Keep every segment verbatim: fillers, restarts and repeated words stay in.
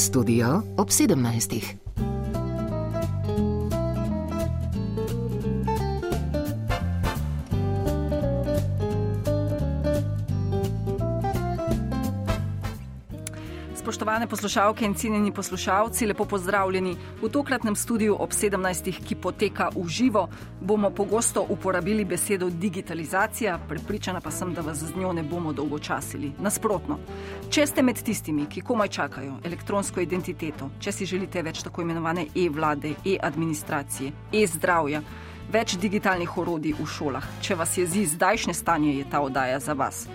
Studio ob sedemnajstih. Spoštovane poslušalke in cenjeni poslušalci, lepo pozdravljeni. V tokratnem studiu ob sedemnajstih, ki poteka v živo, bomo pogosto uporabili besedo digitalizacija, prepričana pa sem, da vas z njo ne bomo dolgočasili. Nasprotno, če ste med tistimi, ki komaj čakajo elektronsko identiteto, če si želite več tako imenovane e-vlade, e-administracije, e-zdravja, več digitalnih orodij v šolah, če vas jezi zdajšnje stanje, je ta oddaja za vas.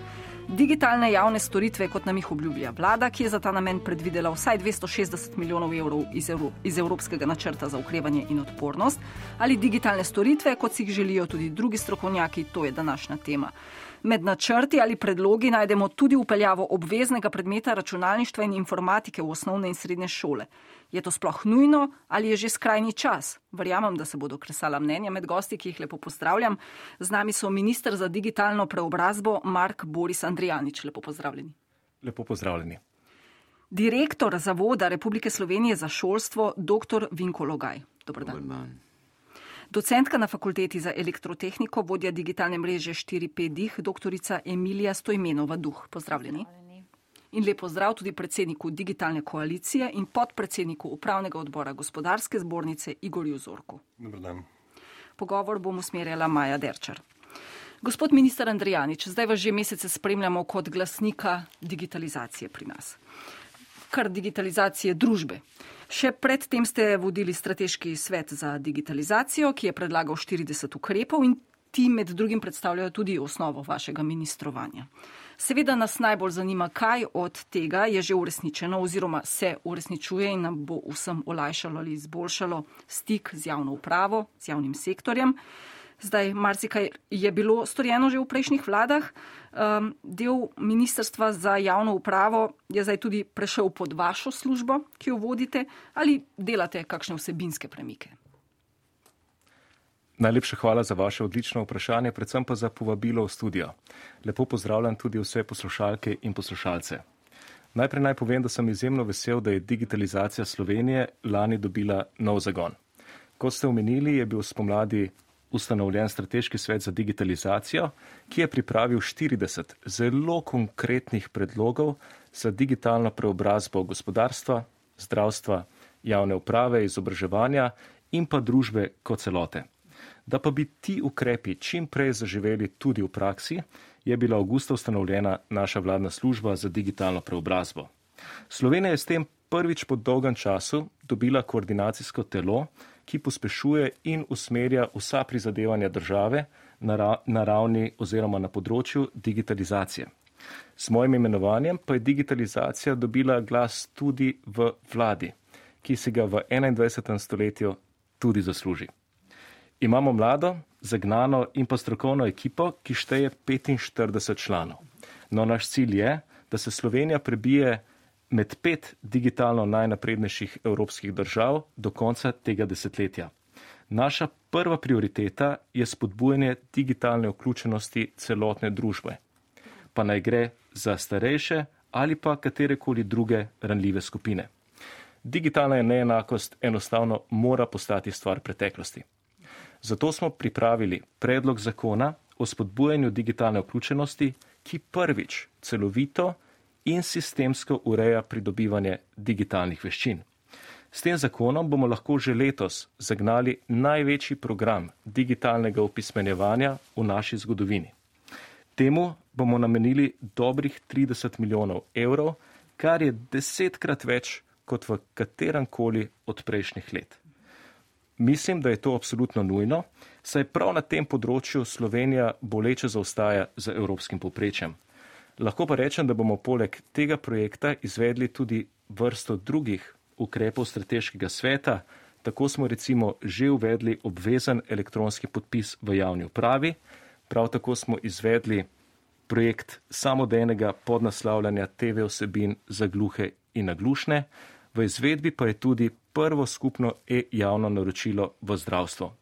Digitalne javne storitve, kot nam jih obljublja vlada, ki je za ta namen predvidela vsaj dvesto šestdeset milijonov evrov iz, Evro, iz Evropskega načrta za okrevanje in odpornost, ali digitalne storitve, kot si jih želijo tudi drugi strokovnjaki, to je današnja tema. Med načrti ali predlogi najdemo tudi vpeljavo obveznega predmeta računalništva in informatike v osnovne in srednje šole. Je to sploh nujno ali je že skrajni čas? Verjamem, da se bodo kresala mnenja med gosti, ki jih lepo pozdravljam. Z nami so minister za digitalno preobrazbo Mark Boris Andrijanič. Lepo pozdravljeni. Lepo pozdravljeni. Direktor Zavoda Republike Slovenije za šolstvo, doktor Vinko Logaj. Dobar dan. Dobar dan. Docentka na fakulteti za elektrotehniko, vodja digitalne mreže štiri P Dih, doktorica Emilija Stojmenova Duh. Pozdravljeni. In lep pozdrav tudi predsedniku Digitalne koalicije in podpredsedniku upravnega odbora Gospodarske zbornice Igorju Zorku. Dobar dan. Pogovor bom usmerjala Maja Derčar. Gospod minister Andrijanič, zdaj vas že mesece spremljamo kot glasnika digitalizacije pri nas. Kar digitalizacije družbe. Še predtem ste vodili strateški svet za digitalizacijo, ki je predlagal štirideset ukrepov in ti med drugim predstavljajo tudi osnovo vašega ministrovanja. Seveda nas najbolj zanima, kaj od tega je že uresničeno oziroma se uresničuje in nam bo vsem olajšalo ali izboljšalo stik z javno upravo, z javnim sektorjem. Zdaj, marsikaj je bilo storjeno že v prejšnjih vladah. Um, del Ministrstva za javno upravo je zdaj tudi prešel pod vašo službo, ki jo vodite, ali delate kakšne vsebinske premike? Najlepša hvala za vaše odlično vprašanje, predvsem pa za povabilo v studio. Lepo pozdravljam tudi vse poslušalke in poslušalce. Najprej naj povem, da sem izjemno vesel, da je digitalizacija Slovenije lani dobila nov zagon. Kot ste omenili, je bil spomladi ustanovljen strateški svet za digitalizacijo, ki je pripravil štirideset zelo konkretnih predlogov za digitalno preobrazbo gospodarstva, zdravstva, javne uprave, izobraževanja in pa družbe kot celote. Da pa bi ti ukrepi čim prej zaživeli tudi v praksi, je bila avgusta ustanovljena naša vladna služba za digitalno preobrazbo. Slovenija je s tem prvič po dolgem času dobila koordinacijsko telo, ki pospešuje in usmerja vsa prizadevanja države na ravni oziroma na področju digitalizacije. S mojim imenovanjem pa je digitalizacija dobila glas tudi v vladi, ki si ga v enaindvajsetem stoletju tudi zasluži. Imamo mlado, zagnano in pa strokovno ekipo, ki šteje petinštirideset članov. No, naš cilj je, da se Slovenija prebije med pet digitalno najnaprednejših evropskih držav do konca tega desetletja. Naša prva prioriteta je spodbujanje digitalne vključenosti celotne družbe. Pa naj gre za starejše ali pa katerekoli druge ranljive skupine. Digitalna neenakost enostavno mora postati stvar preteklosti. Zato smo pripravili predlog zakona o spodbujanju digitalne vključenosti, ki prvič celovito in sistemsko ureja pridobivanje digitalnih veščin. S tem zakonom bomo lahko že letos zagnali največji program digitalnega opismenjevanja v naši zgodovini. Temu bomo namenili dobrih trideset milijonov evrov, kar je desetkrat več kot v kateremkoli od prejšnjih let. Mislim, da je to absolutno nujno, saj prav na tem področju Slovenija boleče zaostaja za evropskim povprečjem. Lahko pa rečem, da bomo poleg tega projekta izvedli tudi vrsto drugih ukrepov strateškega sveta. Tako smo recimo že uvedli obvezen elektronski podpis v javni upravi, prav tako smo izvedli projekt samodejnega podnaslavljanja te ve vsebin za gluhe in naglušne, v izvedbi pa je tudi prvo skupno e-javno naročilo v zdravstvo.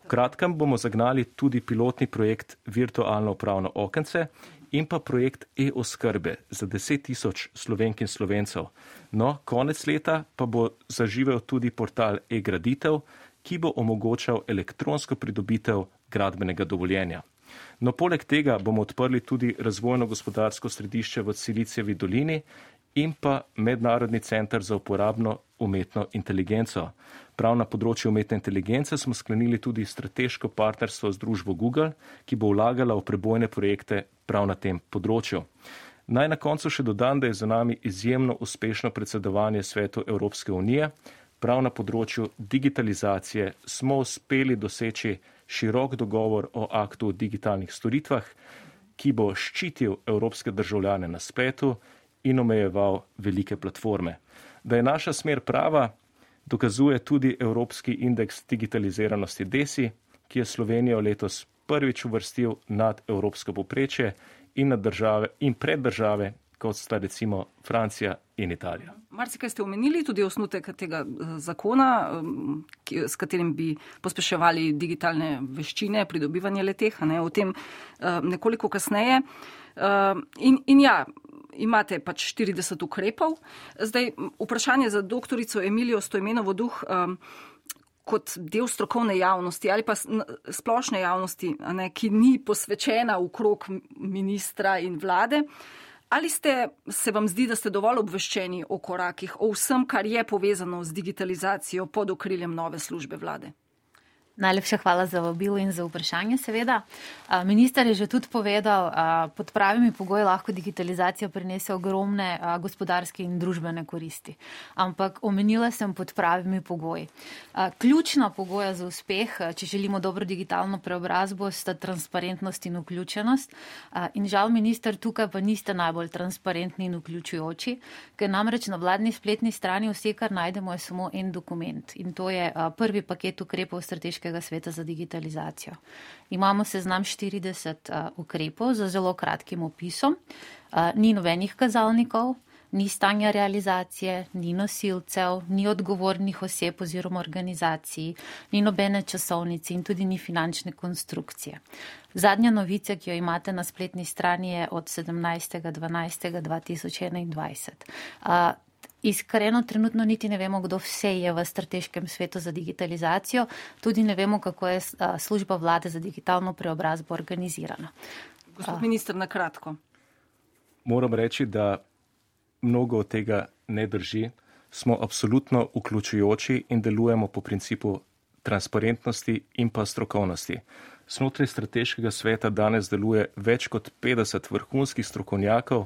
V kratkem bomo zagnali tudi pilotni projekt Virtualno upravno okence in pa projekt e-oskrbe za deset tisoč Slovenk in Slovencev. No, konec leta pa bo zaživel tudi portal e-graditev, ki bo omogočal elektronsko pridobitev gradbenega dovoljenja. No, poleg tega bomo odprli tudi razvojno-gospodarsko središče v Silicijevi dolini in pa Mednarodni center za uporabno umetno inteligenco. Prav na področju umetne inteligence smo sklenili tudi strateško partnerstvo z družbo Google, ki bo vlagala v prebojne projekte prav na tem področju. Naj na koncu še dodam, da je za nami izjemno uspešno predsedovanje Svetu Evropske unije. Prav na področju digitalizacije smo uspeli doseči širok dogovor o aktu o digitalnih storitvah, ki bo ščitil evropske državljane na spletu in omejeval velike platforme. Da je naša smer prava, dokazuje tudi Evropski indeks digitaliziranosti DESI, ki je Slovenijo letos prvič uvrstil nad evropsko povprečje in, nad države, in pred države, kot sta recimo Francija in Italija. Marsikaj ste omenili, tudi osnutek tega zakona, s katerim bi pospeševali digitalne veščine, pridobivanje leteh, ne, o tem nekoliko kasneje. In, in ja, imate pač štirideset ukrepov. Zdaj, vprašanje za doktorico Emilijo Stojmenovo Duh, kot del strokovne javnosti ali pa splošne javnosti, ne, ki ni posvečena okrog ministra in vlade. Ali ste, se vam zdi, da ste dovolj obveščeni o korakih, o vsem, kar je povezano z digitalizacijo pod okriljem nove službe vlade? Najlepša hvala za vabilo in za vprašanje, seveda. Minister je že tudi povedal, pod pravimi pogoji lahko digitalizacija prinese ogromne gospodarske in družbene koristi. Ampak omenila sem pod pravimi pogoji. Ključna pogoja za uspeh, če želimo dobro digitalno preobrazbo, sta transparentnost in vključenost. In žal, minister, tukaj pa niste najbolj transparentni in vključujoči, ker namreč na vladni spletni strani vse, kar najdemo, je samo en dokument. In to je prvi paket ukrepov strateškega sveta za digitalizacijo. Imamo seznam štirideset uh, ukrepov za zelo kratkim opisom. Uh, ni nobenih kazalnikov, ni stanja realizacije, ni nosilcev, ni odgovornih oseb oziroma organizacij, ni nobene časovnice in tudi ni finančne konstrukcije. Zadnja novica, ki jo imate na spletni strani, je od sedemnajstega dvanajstega dva tisoč enaindvajset. Uh, Iskreno, trenutno niti ne vemo, kdo vse je v strateškem svetu za digitalizacijo, tudi ne vemo, kako je služba vlade za digitalno preobrazbo organizirana. Gospod minister, na kratko. Moram reči, da mnogo od tega ne drži. Smo absolutno vključujoči in delujemo po principu transparentnosti in pa strokovnosti. Znotraj strateškega sveta danes deluje več kot petdeset vrhunskih strokovnjakov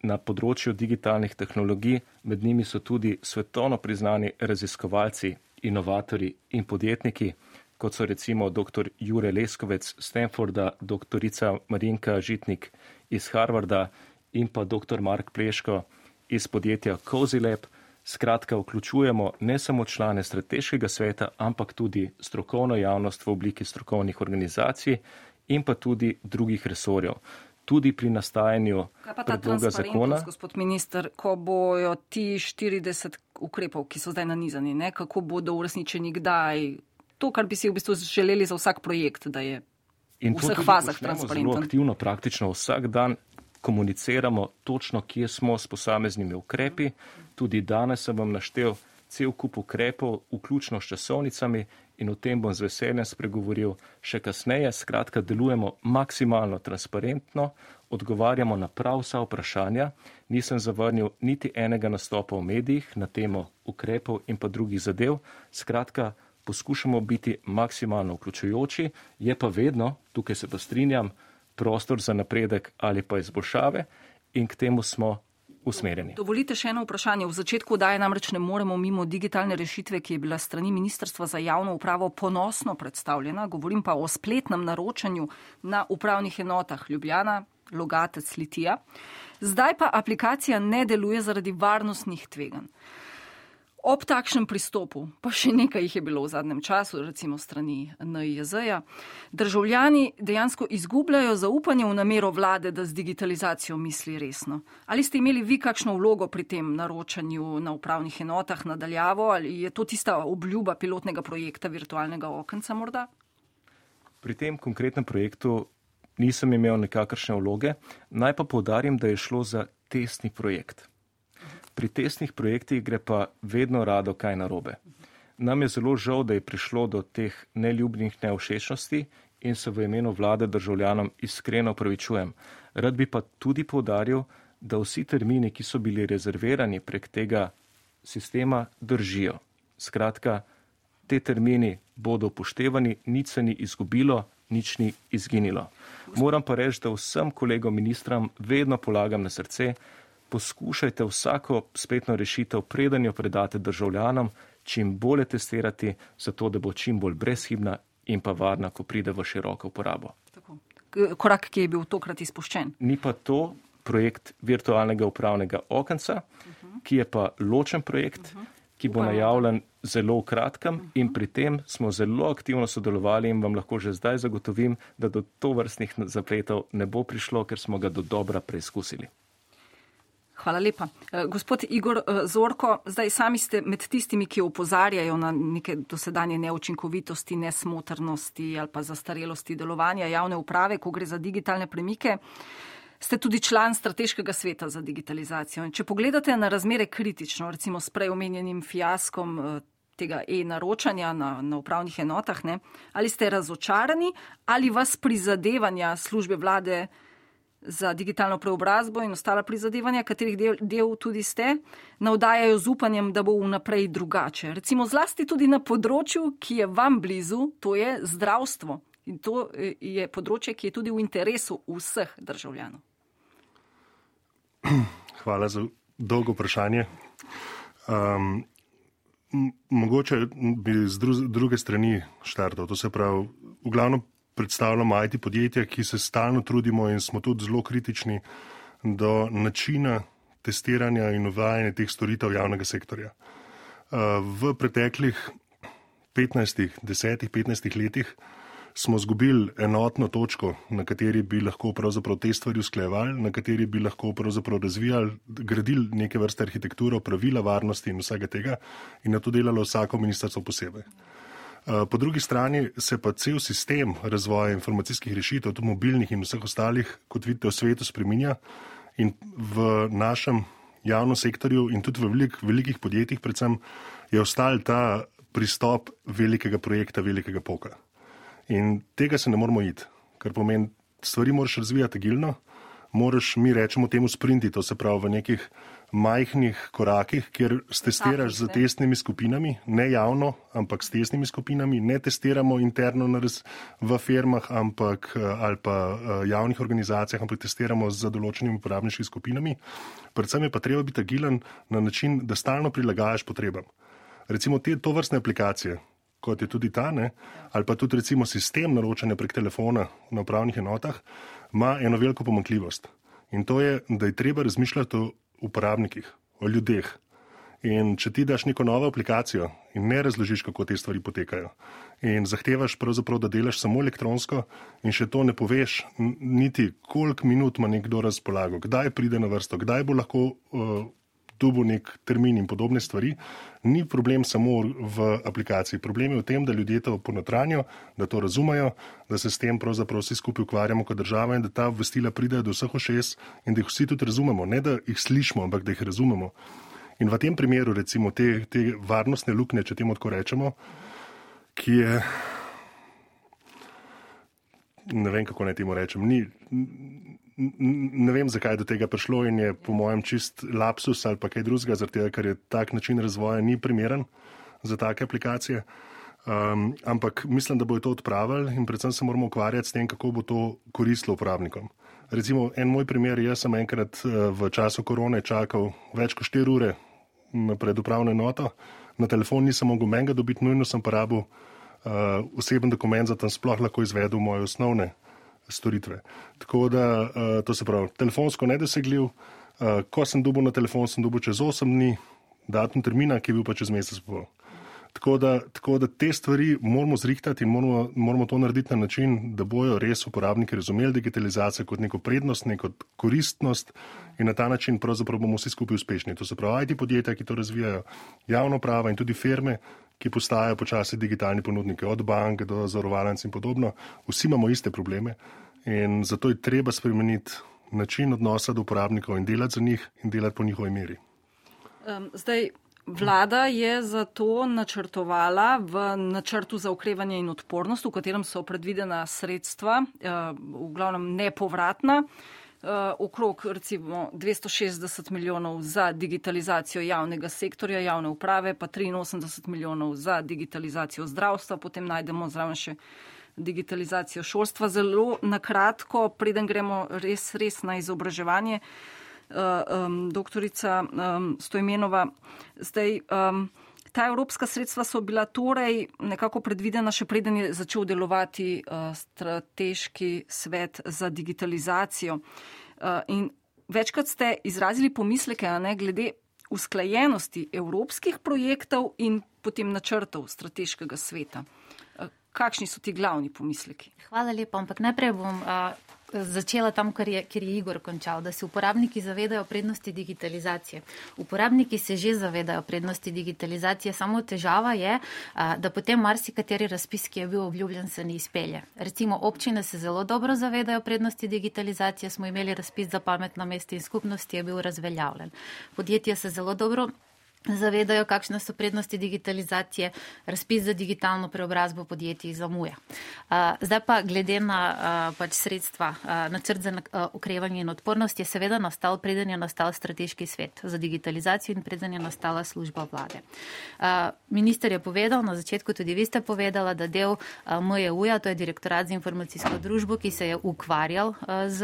na področju digitalnih tehnologij, med njimi so tudi svetovno priznani raziskovalci, inovatorji in podjetniki, kot so recimo dr. Jure Leskovec z Stanforda, doktorica Marinka Žitnik iz Harvarda in pa dr. Mark Pleško iz podjetja CozyLab. Skratka, vključujemo ne samo člane strateškega sveta, ampak tudi strokovno javnost v obliki strokovnih organizacij in pa tudi drugih resorjev. Tudi pri nastajanju predloga zakona. Gospod minister, ko bojo ti štirideset ukrepov, ki so zdaj nanizani, ne, kako bodo uresničeni, kdaj, to, kar bi si v bistvu želeli za vsak projekt, da je v vseh fazah transparenten. Zelo aktivno, praktično vsak dan komuniciramo točno, kje smo s posameznimi ukrepi. Tudi danes sem vam naštel cel kup ukrepov, vključno s časovnicami, in o tem bom z veseljem spregovoril še kasneje. Skratka, delujemo maksimalno transparentno, odgovarjamo na prav vsa vprašanja. Nisem zavrnil niti enega nastopa v medijih na temo ukrepov in pa drugih zadev. Skratka, poskušamo biti maksimalno vključujoči, je pa vedno, tukaj se pa strinjam, prostor za napredek ali pa izboljšave in k temu smo usmerjeni. Dovolite še eno vprašanje. V začetku oddaje namreč ne moremo mimo digitalne rešitve, ki je bila strani Ministrstva za javno upravo ponosno predstavljena. Govorim pa o spletnem naročanju na upravnih enotah Ljubljana, Logatec, Litija. Zdaj pa aplikacija ne deluje zaradi varnostnih tveganj. Ob takšnem pristopu, pa še nekaj jih je bilo v zadnjem času, recimo strani N I J Z-ja, državljani dejansko izgubljajo zaupanje v namero vlade, da z digitalizacijo misli resno. Ali ste imeli vi kakšno vlogo pri tem naročanju na upravnih enotah nadaljavo, ali je to tista obljuba pilotnega projekta virtualnega okenca morda? Pri tem konkretnem projektu nisem imel nekakršne vloge. Naj pa poudarim, da je šlo za testni projekt. Pri testnih projektih gre pa vedno rado kaj narobe. Nam je zelo žal, da je prišlo do teh neljubnih nevšečnosti in se v imenu vlade državljanom iskreno opravičujem. Rad bi pa tudi poudaril, da vsi termini, ki so bili rezervirani prek tega sistema, držijo. Skratka, te termini bodo upoštevani, nič se ni izgubilo, nič ni izginilo. Moram pa reči, da vsem kolegom ministram vedno polagam na srce, poskušajte vsako spletno rešitev, preden jo predate državljanom, čim bolje testirati, zato da bo čim bolj brezhibna in pa varna, ko pride v široko uporabo. Tako. Korak, ki je bil tokrat izpuščen. Ni pa to projekt virtualnega upravnega okenca, uh-huh. ki je pa ločen projekt, uh-huh. ki bo najavljen zelo v kratkem uh-huh. in pri tem smo zelo aktivno sodelovali in vam lahko že zdaj zagotovim, da do tovrstnih zapletov ne bo prišlo, ker smo ga do dobra preizkusili. Hvala lepa. Gospod Igor Zorko, zdaj sami ste med tistimi, ki opozarjajo na neke dosedanje neučinkovitosti, nesmotrnosti ali pa zastarelosti delovanja javne uprave, ko gre za digitalne premike. Ste tudi član strateškega sveta za digitalizacijo. In če pogledate na razmere kritično, recimo s prej omenjenim fiaskom tega e-naročanja na, na upravnih enotah, ne, ali ste razočarani ali vas prizadevanja službe vlade za digitalno preobrazbo in ostala prizadevanja, katerih del, del tudi ste, navdajajo z upanjem, da bo vnaprej drugače. Recimo zlasti tudi na področju, ki je vam blizu, to je zdravstvo. In to je področje, ki je tudi v interesu vseh državljanov. Hvala za dolgo vprašanje. Um, mogoče bi z dru- druge strani štartal. To se pravi, v glavnem predstavljamo I T podjetja, ki se stalno trudimo in smo tudi zelo kritični do načina testiranja in uvajanja teh storitev javnega sektorja. V preteklih petnajstih, desetih, petnajstih letih smo zgubili enotno točko, na kateri bi lahko pravzaprav te stvari usklajevali, na kateri bi lahko pravzaprav razvijali, gradili neke vrste arhitekturo, pravila varnosti in vsega tega in na to delalo vsako ministrstvo posebej. Po drugi strani se pa cel sistem razvoja informacijskih rešitev, tudi mobilnih in vseh ostalih, kot vidite, v svetu spreminja in v našem javnem sektorju in tudi v velik, velikih podjetjih predvsem je ostal ta pristop velikega projekta, velikega poka. In tega se ne moramo iti, kar pomeni, stvari moraš razvijati agilno, moraš, mi rečemo temu sprinti, to se pravi v nekih majhnih korakih, kjer testiraš z testnimi skupinami, ne javno, ampak s testnimi skupinami, ne testiramo interno v firmah ampak, ali pa javnih organizacijah, ampak testiramo z določenimi uporabniškimi skupinami. Predvsem je pa treba biti agilen na način, da stalno prilagajaš potrebam. Recimo te tovrstne aplikacije, kot je tudi ta, ne, ali pa tudi recimo sistem naročanja prek telefona na upravnih enotah, ima eno veliko pomanjkljivost. In to je, da je treba razmišljati o uporabnikih, o ljudeh. In če ti daš neko novo aplikacijo in ne razložiš, kako te stvari potekajo in zahtevaš pravzaprav, da delaš samo elektronsko in še to ne poveš niti, koliko minut ima nekdo razpolago, kdaj pride na vrsto, kdaj bo lahko uh, dobil nek termin in podobne stvari, ni problem samo v aplikaciji. Problem je v tem, da ljudje to ponotranjo, da to razumejo, da se s tem pravzaprav vsi skupaj ukvarjamo kot država in da ta obvestila pridejo do vseh ušes in da jih vsi tudi razumemo. Ne, da jih slišimo, ampak da jih razumemo. In v tem primeru, recimo, te, te varnostne luknje, če temu tako rečemo, ki je, ne vem, kako naj temu rečem, ni, ne vem, zakaj je do tega prišlo in je po mojem čist lapsus ali pa kaj drugega, zaradi tega, ker je tak način razvoja ni primeren za take aplikacije. Um, ampak mislim, da bojo to odpravili in predvsem se moramo ukvarjati s tem, kako bo to koristilo uporabnikom. Recimo, en moj primer, jaz sem enkrat v času korone čakal več kot štiri ure pred upravno enoto, na telefon nisem mogel menga dobiti, nujno sem pa rabil uh, oseben dokument, zato sem sploh lahko izvedel moje osnovne storitve. Tako da, uh, to se pravi, telefonsko nedosegljiv, uh, ko sem dobil na telefon, sem dobil čez osem dni, datum termina, ki je bil pa čez mesec pol. Tako da, tako da te stvari moramo zrihtati in moramo, moramo to narediti na način, da bojo res uporabniki razumeli digitalizacijo kot neko prednost, neko koristnost in na ta način pravzaprav bomo vsi skupaj uspešni. To se pravi I T podjetja, ki to razvijajo, javno prava in tudi firme, ki postajajo počasi digitalni ponudniki, od bank do zavarovalnic in podobno. Vsi imamo iste probleme In zato je treba spremeniti način odnosa do uporabnikov in delati za njih in delati po njihovi meri. Um, zdaj, vlada je zato načrtovala v načrtu za okrevanje in odpornost, v katerem so predvidena sredstva, uh, v glavnem nepovratna, uh, okrog recimo dvesto šestdeset milijonov za digitalizacijo javnega sektorja, javne uprave, pa triinosemdeset milijonov za digitalizacijo zdravstva, potem najdemo zraven še digitalizacijo šolstva. Zelo nakratko, preden gremo res, res na izobraževanje, uh, um, doktorica um, Stojmenova, zdaj um, ta evropska sredstva so bila torej nekako predvidena, še preden je začel delovati uh, strateški svet za digitalizacijo. Uh, in večkrat ste izrazili pomisleke, a ne, glede usklajenosti evropskih projektov in potem načrtov strateškega sveta. Kakšni so ti glavni pomisleki? Hvala lepa, ampak najprej bom a, začela tam, kjer je, kjer je Igor končal, da se uporabniki zavedajo prednosti digitalizacije. Uporabniki se že zavedajo prednosti digitalizacije, samo težava je, a, da potem marsikateri razpis, ki je bil obljubljen, se ne izpelje. Recimo občine se zelo dobro zavedajo prednosti digitalizacije, smo imeli razpis za pametna mesta in skupnosti, je bil razveljavljen. Podjetja se zelo dobro zavedajo, kakšne so prednosti digitalizacije, razpis za digitalno preobrazbo podjetij zamuja. Zdaj pa glede na pač sredstva, načrt za okrevanje in odpornost je seveda nastal, preden je nastal strateški svet za digitalizacijo in preden je nastala služba vlade. Minister je povedal, na začetku tudi vi ste povedala, da del M J U-ja, to je Direktorat za informacijsko družbo, ki se je ukvarjal z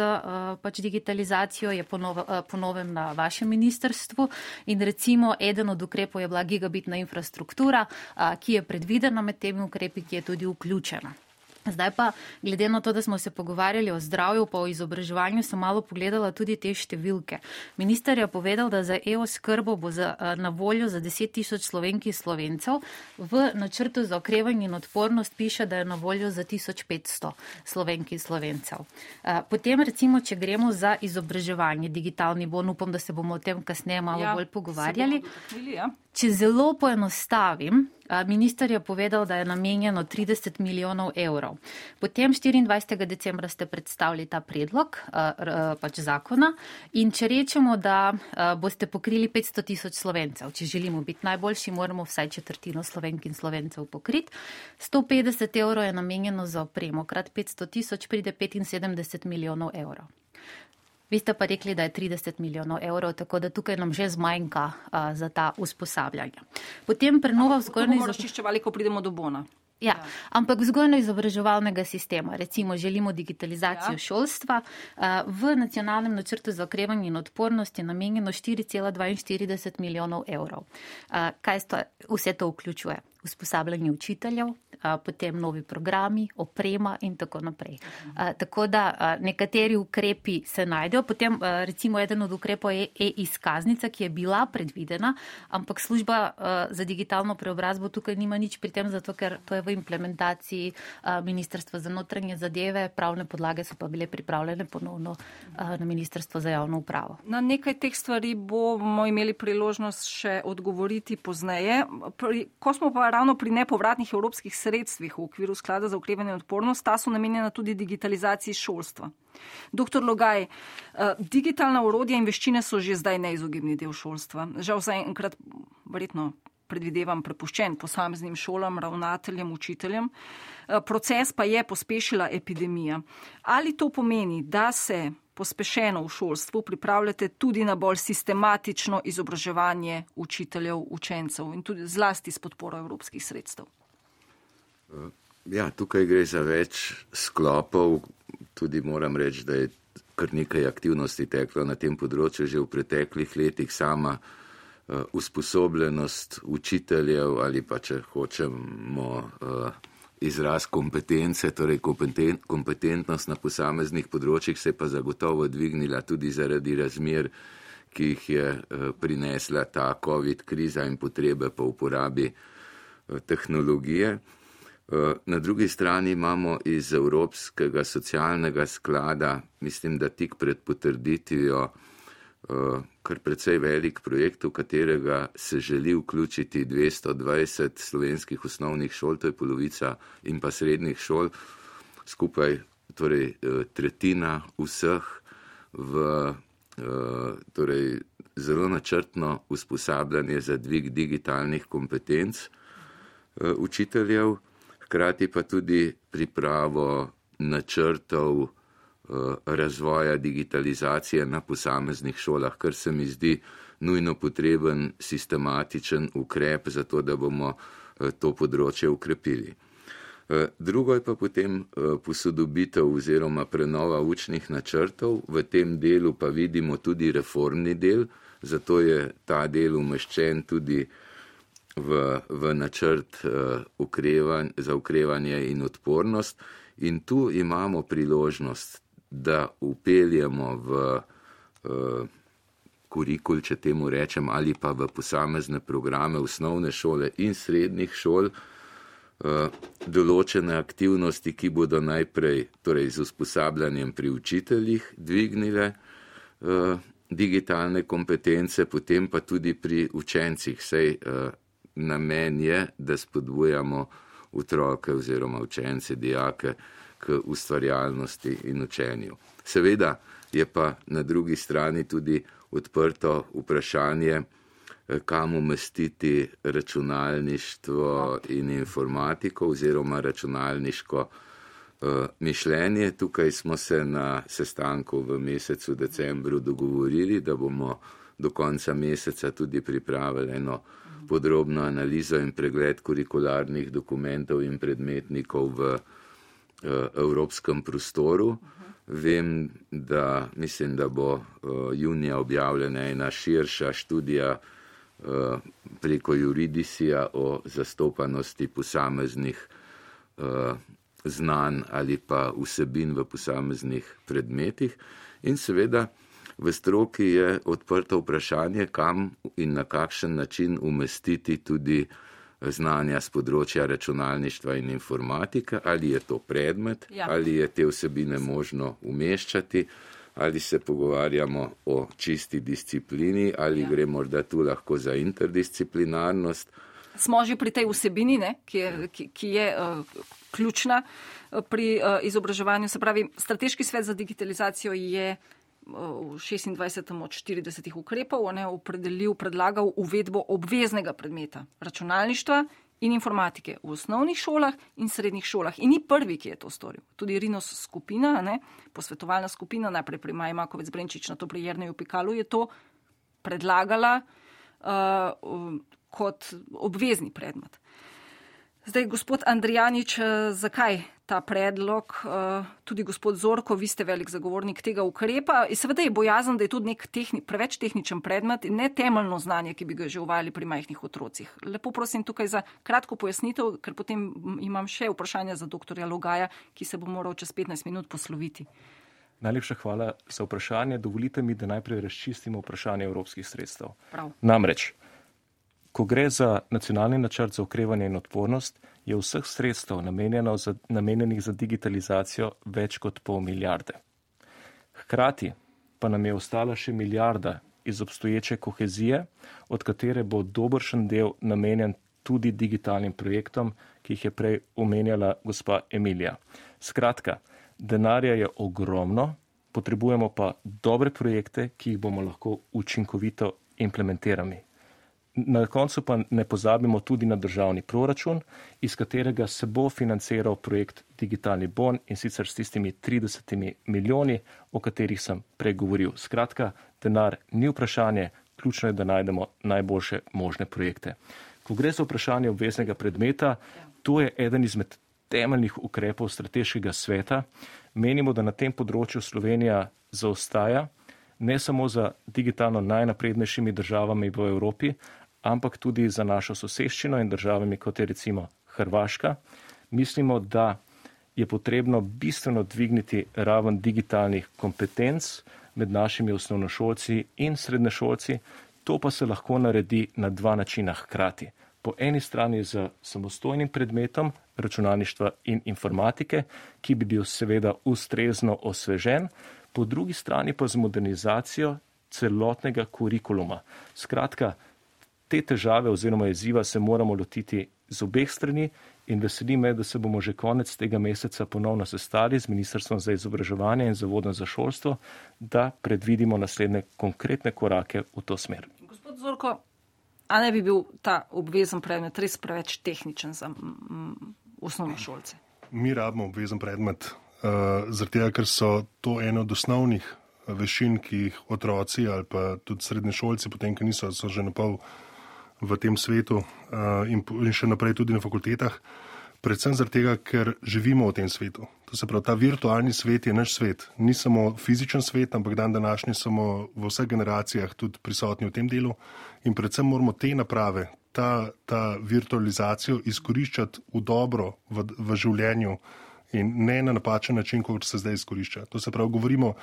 pač digitalizacijo, je po novem na vašem ministrstvu in recimo eden od ukrepov je bila gigabitna infrastruktura, ki je predvidena med temi ukrepi, ki je tudi vključena. Zdaj pa, glede na to, da smo se pogovarjali o zdravju pa o izobraževanju, sem malo pogledala tudi te številke. Minister je povedal, da za e-oskrbo bo za, na voljo za deset tisoč Slovenk in Slovencev. V načrtu za okrevanje in odpornost piše, da je na voljo za tisoč petsto Slovenk in Slovencev. Potem recimo, če gremo za izobraževanje, digitalni bon, upam, da se bomo o tem kasneje malo ja, bolj pogovarjali. Če zelo poenostavim, minister je povedal, da je namenjeno trideset milijonov evrov. Potem štiriindvajsetega decembra ste predstavili ta predlog pač zakona in če rečemo, da boste pokrili petsto tisoč Slovencev, če želimo biti najboljši, moramo vsaj četrtino Slovenk in Slovencev pokriti. sto petdeset evrov je namenjeno za opremo, krat petsto tisoč pride petinsedemdeset milijonov evrov. Vi ste pa rekli, da je trideset milijonov evrov, tako da tukaj nam že zmanjka uh, za ta usposabljanja. Potem prenova vzgojno izobraževalnega razčiščevali, ko pridemo do bona. Ja, ampak vzgojno-izobraževalnega sistema, recimo želimo digitalizacijo ja. šolstva, v nacionalnem načrtu za okrevanje in odpornost je namenjeno štiri cela dvainštirideset milijonov evrov. Kaj sto, vse to vključuje? Usposabljanje učiteljev, potem novi programi, oprema in tako naprej. Tako da nekateri ukrepi se najdejo, potem recimo eden od ukrepov je e-izkaznica, ki je bila predvidena, ampak služba za digitalno preobrazbo tukaj nima nič pri tem, zato ker to je v implementaciji Ministrstva za notranje zadeve, pravne podlage so pa bile pripravljene ponovno na Ministrstvo za javno upravo. Na nekaj teh stvari bomo imeli priložnost še odgovoriti pozneje. Ko smo pa ravno pri nepovratnih evropskih sredstvih v okviru sklada za okrevanje in odpornost, ta so namenjena tudi digitalizaciji šolstva. Doktor Logaj, digitalna orodja in veščine so že zdaj neizogibni del šolstva. Žal zaenkrat verjetno predvidevam prepuščen posameznim šolam, ravnateljem, učiteljem. Proces pa je pospešila epidemija. Ali to pomeni, da se pospešeno v šolstvu pripravljate tudi na bolj sistematično izobraževanje učiteljev, učencev in tudi zlasti s podporo evropskih sredstev? Ja, tukaj gre za več sklopov. Tudi moram reči, da je kar nekaj aktivnosti teklo na tem področju že v preteklih letih. Sama usposobljenost učiteljev ali pa, če hočemo, izraz kompetence, torej kompetentnost na posameznih področjih se pa zagotovo dvignila tudi zaradi razmer, ki jih je prinesla ta COVID kriza in potrebe po uporabi tehnologije. Na drugi strani imamo iz Evropskega socialnega sklada, mislim, da tik pred potrditvijo, kar precej velik projekt, v katerega se želi vključiti dvesto dvajset slovenskih osnovnih šol, to je polovica, in pa srednjih šol, skupaj torej tretjina vseh v torej, zelo načrtno usposabljanje za dvig digitalnih kompetenc učiteljev, hkrati pa tudi pripravo načrtov razvoja digitalizacije na posameznih šolah, kar se mi zdi nujno potreben sistematičen ukrep za to, da bomo to področje ukrepili. Drugo je pa potem posodobitev oziroma prenova učnih načrtov. V tem delu pa vidimo tudi reformni del, zato je ta del umeščen tudi v, v načrt ukrevan, za ukrevanje in odpornost. In tu imamo priložnost, da upeljemo v kurikul, če temu rečem, ali pa v posamezne programe osnovne šole in srednjih šol, določene aktivnosti, ki bodo najprej, torej z usposabljanjem pri učiteljih, dvignile digitalne kompetence, potem pa tudi pri učencih. Sej namen je, da spodbujamo otroke oziroma učence, dijake k ustvarjalnosti in učenju. Seveda je pa na drugi strani tudi odprto vprašanje, kam umestiti računalništvo in informatiko oziroma računalniško uh, mišljenje. Tukaj smo se na sestanku v mesecu decembru dogovorili, da bomo do konca meseca tudi pripravili eno podrobno analizo in pregled kurikularnih dokumentov in predmetnikov v uh, evropskem prostoru. Vem, da mislim, da bo uh, junija objavljena ena širša študija preko Juridisija o zastopanosti posameznih uh, znanj ali pa vsebin v posameznih predmetih. In seveda v stroki je odprto vprašanje, kam in na kakšen način umestiti tudi znanja z področja računalništva in informatike, ali je to predmet, ja. ali je te vsebine možno umeščati, ali se pogovarjamo o čisti disciplini, ali ja. gre morda tu lahko za interdisciplinarnost. Smo že pri tej vsebini, ne, ki je, ki, ki je uh, ključna pri uh, izobraževanju. Se pravi, Strateški svet za digitalizacijo je v šestindvajsetem od štiridesetih ukrepov ne, opredelil, predlagal uvedbo obveznega predmeta računalništva in informatike v osnovnih šolah in srednjih šolah. In ni prvi, ki je to storil. Tudi Rinos skupina, ne, posvetovalna skupina, najprej pri Maji Makovec Brenčič, nato pri Jerneju Pikalu, je to predlagala uh, kot obvezni predmet. Zdaj, gospod Andrijanič, zakaj ta predlog? Tudi gospod Zorko, vi ste velik zagovornik tega ukrepa. In seveda je bojazen, da je to nek tehni, preveč tehničen predmet in ne temeljno znanje, ki bi ga že uvajali pri majhnih otrocih. Lepo prosim tukaj za kratko pojasnitev, ker potem imam še vprašanje za doktorja Logaja, ki se bo moral čez petnajst minut posloviti. Najlepša hvala za vprašanje. Dovolite mi, da najprej razčistimo vprašanje evropskih sredstev. Prav. Namreč, ko gre za nacionalni načrt za okrevanje in odpornost, je vseh sredstev namenjeno za, namenjenih za digitalizacijo več kot pol milijarde. Hkrati pa nam je ostala še milijarda iz obstoječe kohezije, od katere bo dobršen del namenjen tudi digitalnim projektom, ki jih je prej omenjala gospa Emilija. Skratka, denarja je ogromno, potrebujemo pa dobre projekte, ki jih bomo lahko učinkovito implementirali. Na koncu pa ne pozabimo tudi na državni proračun, iz katerega se bo financiral projekt Digitalni bon in sicer s tistimi tridesetimi milijoni, o katerih sem pregovoril. Skratka, denar ni vprašanje, ključno je, da najdemo najboljše možne projekte. Ko gre za vprašanje obveznega predmeta, to je eden izmed temeljnih ukrepov strateškega sveta. Menimo, da na tem področju Slovenija zaostaja, ne samo za digitalno najnaprednejšimi državami v Evropi, ampak tudi za našo soseščino in državami, kot je recimo Hrvaška. Mislimo, da je potrebno bistveno dvigniti raven digitalnih kompetenc med našimi osnovnošolci in srednješolci. To pa se lahko naredi na dva načina hkrati. Po eni strani z samostojnim predmetom računalništva in informatike, ki bi bil seveda ustrezno osvežen, po drugi strani pa z modernizacijo celotnega kurikuluma. Skratka, te težave oziroma izziva se moramo lotiti z obeh strani In veseli me, da se bomo že konec tega meseca ponovno sestali z Ministrstvom za izobraževanje in Zavodom za šolstvo, da predvidimo naslednje konkretne korake v to smer. Gospod Zorko, a ne bi bil ta obvezen predmet res preveč tehničen za osnovnošolce? Mi rabimo obvezen predmet, uh, zaradi tega, ker so to eno od osnovnih veščin, ki jih otroci ali pa tudi srednješolci, potem, ki niso, so že napol v tem svetu uh, in, in še naprej tudi na fakultetah, predvsem zaradi tega, ker živimo v tem svetu. To se pravi, ta virtualni svet je naš svet. Ni samo fizičen svet, ampak dan današnji smo v vseh generacijah tudi prisotni v tem delu in predvsem moramo te naprave, ta, ta virtualizacijo izkoriščati v dobro v, v življenju in ne na napačen način, kot se zdaj izkorišča. To se pravi, govorimo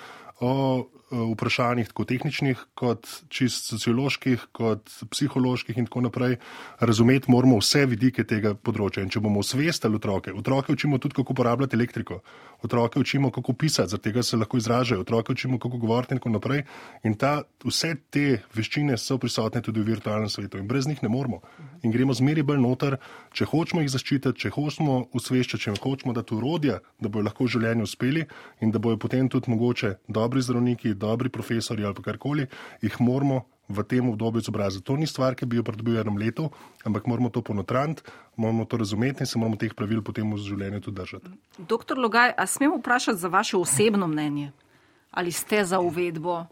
o vprašanjih tako tehničnih, kot čist socioloških, kot psiholoških in tako naprej. Razumeti moramo vse vidike tega področja. In če bomo osvestili otroke, otroke učimo tudi, kako uporabljati elektriko, otroke učimo, kako pisati, zaradi tega se lahko izražajo, otroke učimo, kako govoriti in tako naprej. In ta, vse te veščine so prisotne tudi v virtualnem svetu in brez njih ne moremo. In gremo zmeri bolj noter, če hočemo jih zaščititi, če hočemo osveščati, če hočemo dati urodja, da bojo lahko v življenju uspeli in da bojo potem tudi mogoče dobri zdravniki, dobri profesori ali pa karkoli, jih moramo v tem obdobju izobraziti. To ni stvar, ki bi jo pridobil v enem letu, ampak moramo to ponotraniti, moramo to razumeti in se moramo teh pravil potem v življenju tudi držati. Doktor Logaj, a smem vprašati za vaše osebno mnenje? Ali ste za uvedbo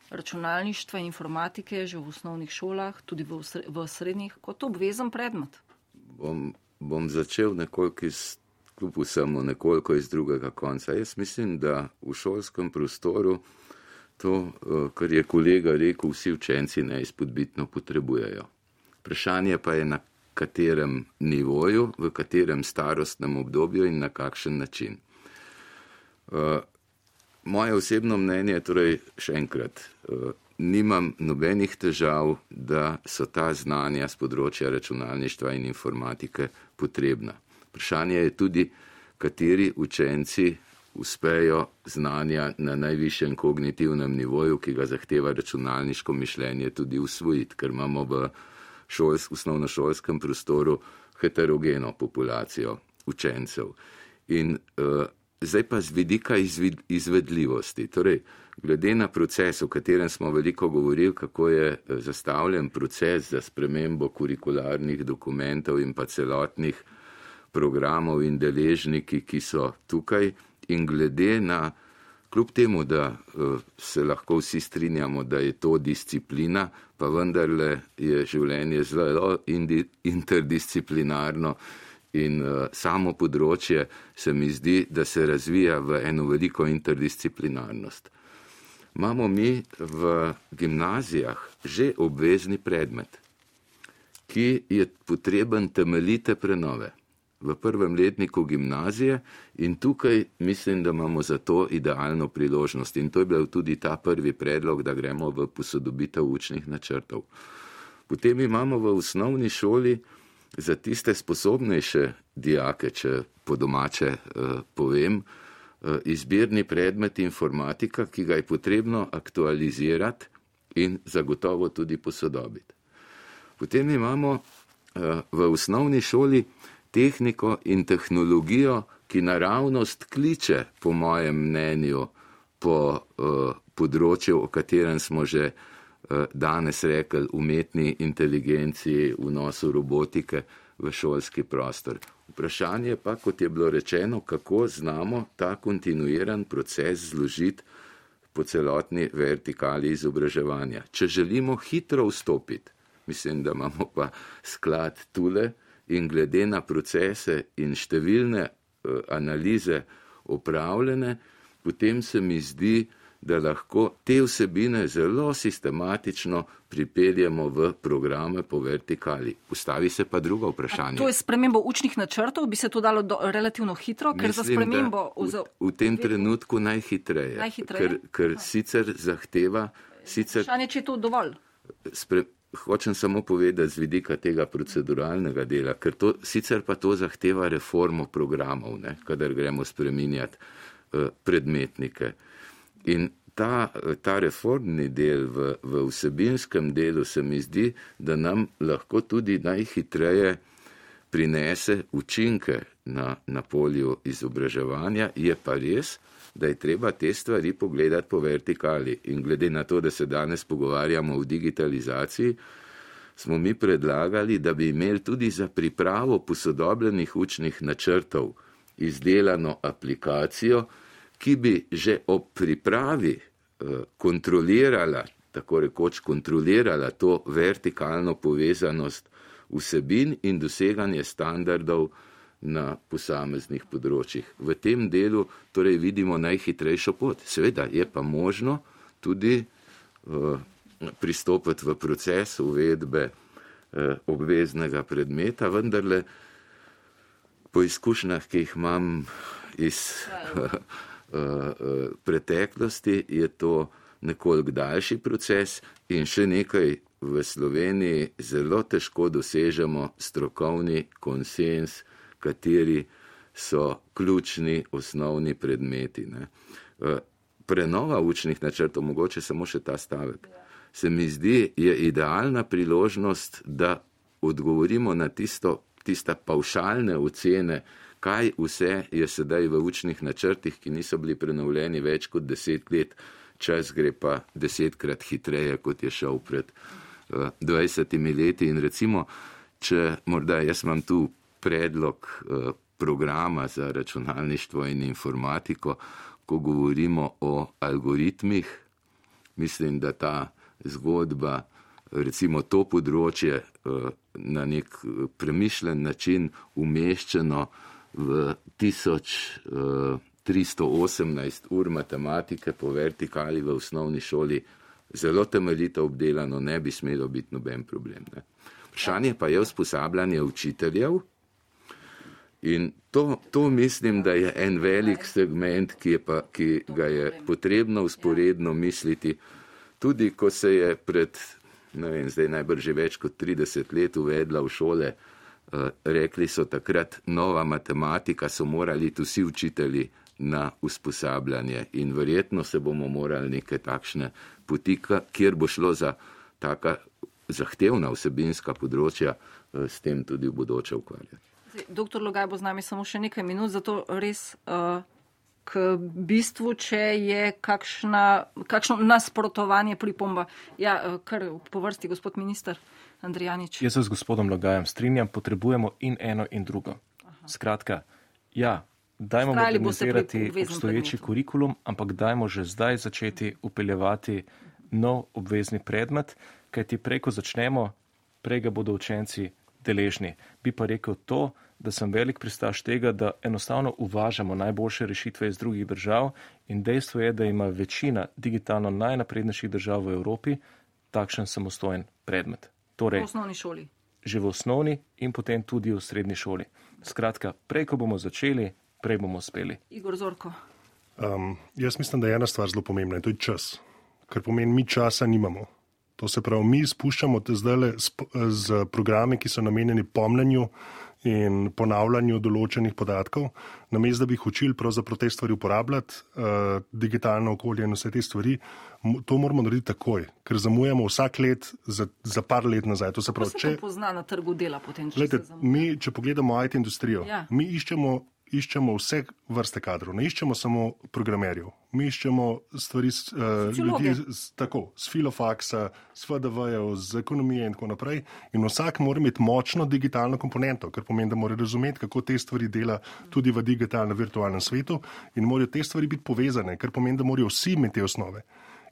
računalništva in informatike že v osnovnih šolah, tudi v, v srednjih, kot obvezen predmet? Bom, bom začel nekoliko iz, kljub vsemu, nekoliko iz drugega konca. Jaz mislim, da v šolskem prostoru to, kar je kolega rekel, vsi učenci neizpodbitno potrebujejo. Vprašanje pa je, na katerem nivoju, v katerem starostnem obdobju in na kakšen način. Moje osebno mnenje je torej še enkrat, nimam nobenih težav, da so ta znanja z področja računalništva in informatike potrebna. Vprašanje je tudi, kateri učenci uspejo znanja na najvišjem kognitivnem nivoju, ki ga zahteva računalniško mišljenje, tudi usvojiti, ker imamo v šols, osnovnošolskem prostoru heterogeno populacijo učencev. In uh, zdaj pa z vidika izvid, izvedljivosti. Torej, glede na proces, o katerem smo veliko govorili, kako je zastavljen proces za spremembo kurikularnih dokumentov in pa celotnih programov in deležniki, ki so tukaj, in glede na, kljub temu, da uh, se lahko vsi strinjamo, da je to disciplina, pa vendarle je življenje zelo indi, interdisciplinarno in uh, samo področje se mi zdi, da se razvija v eno veliko interdisciplinarnost. Imamo mi v gimnazijah že obvezni predmet, ki je potreben temeljite prenove v prvem letniku gimnazije in tukaj mislim, da imamo za to idealno priložnost. In to je bil tudi ta prvi predlog, da gremo v posodobitev učnih načrtov. Potem imamo v osnovni šoli za tiste sposobnejše dijake, če po domače eh, povem, eh, izbirni predmet informatika, ki ga je potrebno aktualizirati in zagotovo tudi posodobiti. Potem imamo eh, v osnovni šoli tehniko in tehnologijo, ki naravnost kliče, po mojem mnenju, po uh, področju, o katerem smo že uh, danes rekli, umetni inteligenciji, vnosu robotike v šolski prostor. Vprašanje pa, kot je bilo rečeno, kako znamo ta kontinuiran proces zložiti po celotni vertikali izobraževanja. Če želimo hitro vstopiti, mislim, da imamo pa sklad tule, in glede na procese in številne uh, analize opravljene, potem se mi zdi, da lahko te vsebine zelo sistematično pripeljemo v programe po vertikali. Postavi se pa drugo vprašanje. A to je spremembo učnih načrtov, bi se to dalo do, relativno hitro, ker Mislim, za spremembo... V, v tem trenutku najhitreje, najhitreje? ker, ker sicer zahteva... Sicer, vprašanje, če je to dovolj? Spre, Hočem samo povedati z vidika tega proceduralnega dela, ker to, sicer pa to zahteva reformo programov, ne, kadar gremo spreminjati uh, predmetnike. In ta, ta reformni del v, v vsebinskem delu se mi zdi, da nam lahko tudi najhitreje prinese učinke na, na polju izobraževanja, je pa res, da je treba te stvari pogledati po vertikali. In glede na to, da se danes pogovarjamo o digitalizaciji, smo mi predlagali, da bi imeli tudi za pripravo posodobljenih učnih načrtov izdelano aplikacijo, ki bi že ob pripravi eh, kontrolirala, tako rekoč kontrolirala to vertikalno povezanost vsebin in doseganje standardov na posameznih področjih. V tem delu torej vidimo najhitrejšo pot. Seveda je pa možno tudi uh, pristopiti v proces uvedbe uh, obveznega predmeta, vendarle po izkušnjah, ki jih imam iz uh, uh, preteklosti, je to nekoliko daljši proces in še nekaj v Sloveniji zelo težko dosežemo strokovni konsens, kateri so ključni osnovni predmeti. Ne. Prenova učnih načrtov, mogoče samo še ta stavek, se mi zdi, je idealna priložnost, da odgovorimo na tisto, tista pavšalne ocene, kaj vse je sedaj v učnih načrtih, ki niso bili prenovljeni več kot deset let, čas gre pa desetkrat hitreje, kot je šel pred uh, dvajsetimi leti. In recimo, če morda jaz imam tu predlog uh, programa za računalništvo in informatiko, ko govorimo o algoritmih, mislim, da ta zgodba, recimo to področje uh, na nek premišljen način umeščeno v tisoč uh, tristo osemnajst ur matematike po vertikali v osnovni šoli, zelo temeljito obdelano, ne bi smelo biti noben problem. Ne. Vprašanje pa je usposabljanje učiteljev in to, to mislim, da je en velik segment, ki, je pa, ki ga je potrebno usporedno misliti, tudi ko se je pred, ne vem, zdaj najbrž že več kot trideset let uvedla v šole, uh, rekli so takrat nova matematika, so morali vsi učitelji na usposabljanje in verjetno se bomo morali neke takšne poti, kjer bo šlo za taka zahtevna vsebinska področja, s tem tudi v bodoče ukvarjati. Doktor Logaj bo z nami samo še nekaj minut, zato res uh, k bistvu, če je kakšna, kakšno nasprotovanje pripomba. Ja, uh, kar po vrsti, gospod minister Andrijanič. Jaz se z gospodom Logajem strinjam, potrebujemo in eno in drugo. Aha. Skratka, ja, dajmo modernizirati obstoječi kurikulum, ampak dajmo že zdaj začeti upeljevati nov obvezni predmet, kajti prej, ko začnemo, prej ga bodo učenci deležni. Bi pa rekel to, da sem velik pristaš tega, da enostavno uvažamo najboljše rešitve iz drugih držav in dejstvo je, da ima večina digitalno najnaprednejših držav v Evropi takšen samostojen predmet. Torej, v osnovni šoli. Že v osnovni in potem tudi v srednji šoli. Skratka, prej, ko bomo začeli, prej bomo uspeli. Igor Zorko. Um, jaz mislim, da je ena stvar zelo pomembna in to je čas. Ker pomeni, mi časa nimamo. To se pravi, mi spuščamo te zdaj z programe, ki so namenjeni pomnenju in ponavljanju določenih podatkov, namesto da bi jih učili pravzaprav te stvari uporabljati, uh, digitalno okolje in vse te stvari, to moramo narediti takoj, ker zamujamo vsak let za, za par let nazaj. To se pravi, Kako se to pozna na trgu dela potem, če Glede, se zamuja? Mi, če pogledamo I T industrijo, Ja. mi iščemo iščemo vse vrste kadrov, ne iščemo samo programerjev. Mi iščemo stvari, uh, ljudi z, tako, z filofaksa, z F D V-jev, z ekonomije in tako naprej. In vsak mora imeti močno digitalno komponento, kar pomeni, da mora razumeti, kako te stvari dela tudi v digitalnem, virtualnem svetu in morajo te stvari biti povezane, kar pomeni, da morajo vsi imeti te osnove.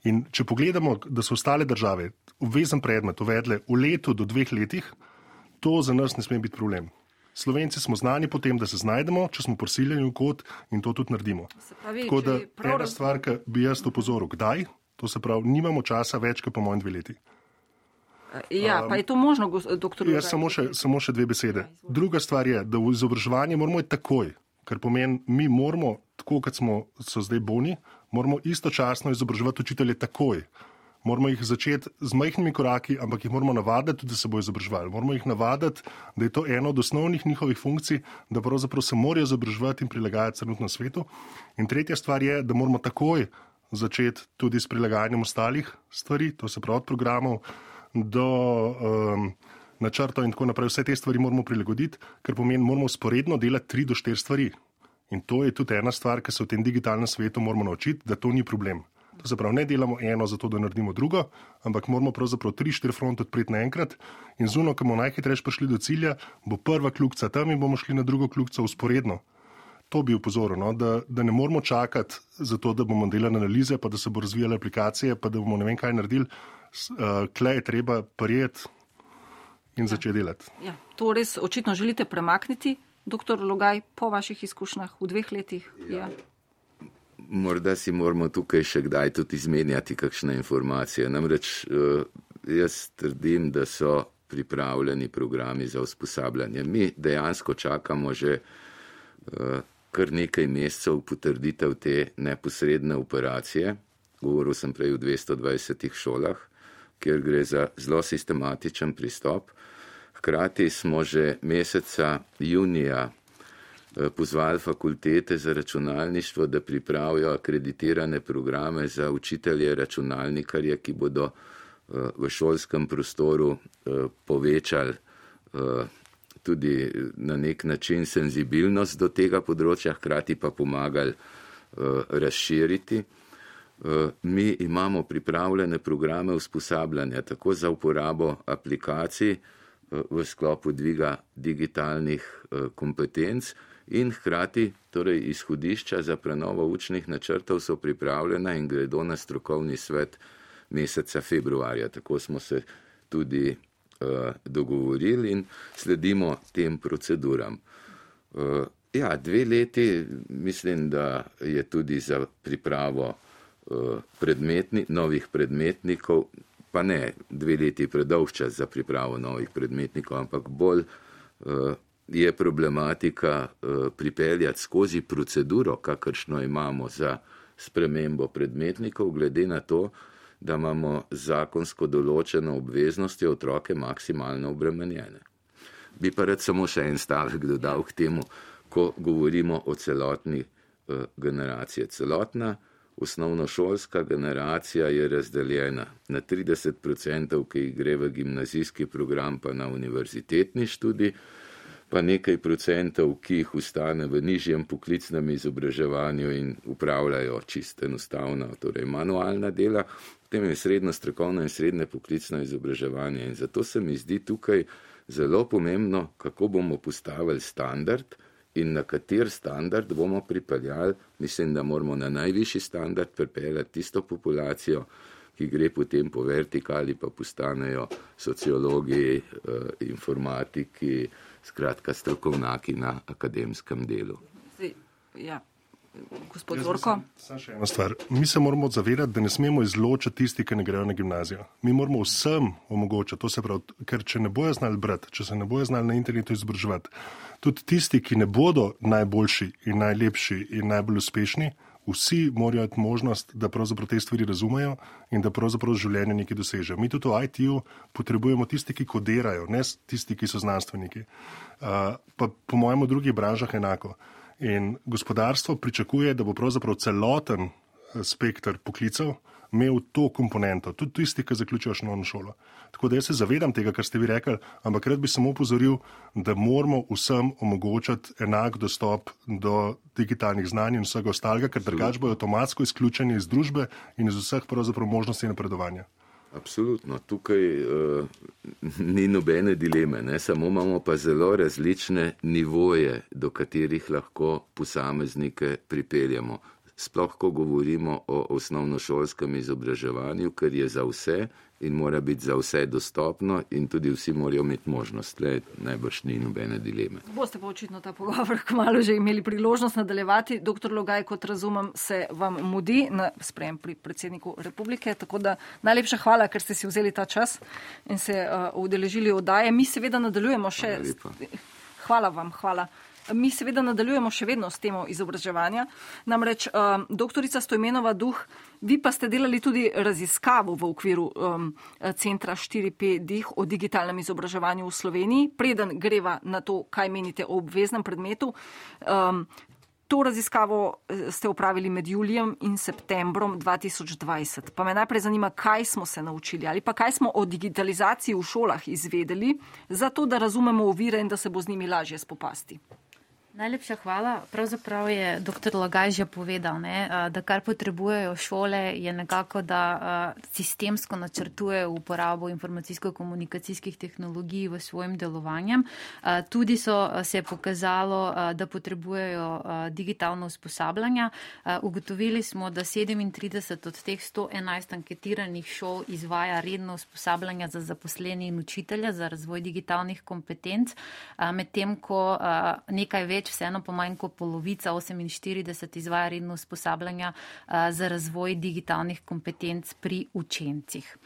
In če pogledamo, da so ostale države obvezen predmet uvedle v letu do dveh letih, to za nas ne sme biti problem. Slovenci smo znani po tem, da se znajdemo, če smo prisiljeni v kot in to tudi naredimo. Pravi, Tako da prav ena stvar, ki bi jaz opozoril, kdaj, to se pravi, nimamo časa več, kot po mojem dve leti. Ja, pa je to možno, doktor Logaj? Jaz samo še, samo še dve besede. Druga stvar je, da v izobraževanje moramo iti takoj, kar pomeni, mi moramo, tako kot smo so zdaj boni, moramo istočasno izobraževati učitelje takoj. Moramo jih začeti z majhnimi koraki, ampak jih moramo navaditi, da se bo izobraževali. Moramo jih navaditi, da je to eno od osnovnih njihovih funkcij, da pravzaprav se morajo izobraževati in prilagajati trenutno svetu. In tretja stvar je, da moramo takoj začeti tudi s prilagajanjem ostalih stvari, to se pravi od programov do um, načrtov in tako naprej. Vse te stvari moramo prilagoditi, ker pomeni, moramo sporedno delati tri do štiri stvari. In to je tudi ena stvar, ki se v tem digitalnem svetu moramo naučiti, da to ni problem. To se pravi, ne delamo eno zato, da naredimo drugo, ampak moramo pravzaprav tri, štiri fronte odpreti naenkrat in zuno, ko bomo najhitreje prišli do cilja, bo prva kljukca tam in bomo šli na drugo kljukco usporedno. To bi upozoril, no? da, da ne moramo čakati za to, da bomo delali analize, pa da se bo razvijale aplikacije, pa da bomo ne vem kaj naredili. Uh, Klej je treba prijeti in ja. začeti delati. Ja, to res očitno želite premakniti, doktor Logaj, po vaših izkušnjah v dveh letih. Ja. Ja. Morda si moramo tukaj še kdaj tudi izmenjati kakšne informacije. Namreč uh, jaz trdim, da so pripravljeni programi za usposabljanje. Mi dejansko čakamo že uh, kar nekaj mesecev potrditev te neposredne operacije. Govoril sem prej v dvesto dvajsetih šolah, kjer gre za zelo sistematičen pristop. Hkrati smo že meseca junija pozvali fakultete za računalništvo, da pripravijo akreditirane programe za učitelje računalnikarje, ki bodo v šolskem prostoru povečali tudi na nek način senzibilnost do tega področja, hkrati pa pomagali razširiti. Mi imamo pripravljene programe usposabljanja tako za uporabo aplikacij v sklopu dviga digitalnih kompetenc in hkrati torej izhodišča za prenovo učnih načrtov so pripravljena in gredo na strokovni svet meseca februarja. Tako smo se tudi uh, dogovorili in sledimo tem proceduram. Uh, ja, dve leti mislim, da je tudi za pripravo uh, predmetni, novih predmetnikov, pa ne dve leti predolg čas za pripravo novih predmetnikov, ampak bolj uh, je problematika uh, pripeljati skozi proceduro, kakršno imamo za spremembo predmetnikov, glede na to, da imamo zakonsko določeno obveznosti otroke maksimalno obremenjene. Bi pa rad samo še en stavek dodal k temu, ko govorimo o celotni uh, generaciji. Celotna osnovnošolska generacija je razdeljena na trideset procentov, ki jih gre v gimnazijski program, pa na univerzitetni študij, pa nekaj procentov, ki jih ustane v nižjem poklicnem izobraževanju in upravljajo čisto enostavno, torej manualna dela, potem je srednjo strokovno in srednje poklicno izobraževanje. In zato se mi zdi tukaj zelo pomembno, kako bomo postavili standard in na kater standard bomo pripeljali. Mislim, da moramo na najvišji standard pripeljati tisto populacijo, ki gre potem po vertikali, pa postanejo sociologi, informatiki, skratka strokovnjaki na akademskem delu. Ja, gospod Zorko. Samo še ena stvar. Mi se moramo zavedati, da ne smemo izločiti tisti, ki ne grejo na gimnazijo. Mi moramo vsem omogočiti, to se pravi, ker če ne bojo znali brati, če se ne bojo znali na internetu izobraževati, tudi tisti, ki ne bodo najboljši in najlepši in najbolj uspešni, vsi morajo imeti možnost, da pravzaprav te stvari razumejo in da pravzaprav življenje nekaj dosežejo. Mi tudi v I T-ju potrebujemo tisti, ki kodirajo, ne tisti, ki so znanstveniki. Uh, pa po mojem v drugih branžah enako. In gospodarstvo pričakuje, da bo pravzaprav celoten spektr poklicev imel to komponento, tudi tisti, ki zaključijo osnovno šolo. Tako da jaz se zavedam tega, kar ste vi rekli, ampak rad bi samo upozoril, da moramo vsem omogočati enak dostop do digitalnih znanj in vsega ostalega, ker drugače bojo avtomatsko izključeni iz družbe in iz vseh pravzaprav možnosti napredovanja. Absolutno, tukaj uh, ni nobene dileme, ne? Samo imamo pa zelo različne nivoje, do katerih lahko posameznike pripeljamo. Sploh, ko govorimo o osnovnošolskem izobraževanju, ker je za vse in mora biti za vse dostopno in tudi vsi morajo imeti možnost. Le najbrž ni nobene dileme. Boste pa očitno ta pogovor kmalu že imeli priložnost nadaljevati. Doktor Logaj, kot razumem, se vam mudi na sprejem pri predsedniku republike, tako da najlepša hvala, ker ste si vzeli ta čas in se uh, udeležili oddaje. Mi seveda nadaljujemo še... Hvala vam, hvala. Mi seveda nadaljujemo še vedno s temo izobraževanja. Namreč um, doktorica Stojmenova Duh, vi pa ste delali tudi raziskavo v okviru um, centra štiri P Dih o digitalnem izobraževanju v Sloveniji. Preden greva na to, kaj menite o obveznem predmetu, um, To raziskavo ste upravili med julijem in septembrom dva tisoč dvajset. Pa me najprej zanima, kaj smo se naučili ali pa kaj smo o digitalizaciji v šolah izvedeli, zato da razumemo ovire in da se bo z njimi lažje spopasti. Najlepša hvala. Pravzaprav je doktor Lagaj že povedal, ne, da kar potrebujejo šole je nekako, da sistemsko načrtujejo uporabo informacijsko-komunikacijskih tehnologij v svojem delovanjem. Tudi so se pokazalo, da potrebujejo digitalno usposabljanja. Ugotovili smo, da sedemintrideset od teh sto enajst anketiranih šol izvaja redno usposabljanja za zaposleni in učitelja za razvoj digitalnih kompetenc, medtem ko nekaj več vseeno po manj kot polovica, oseminštirideset, izvaja redno usposabljanja za razvoj digitalnih kompetenc pri učencih.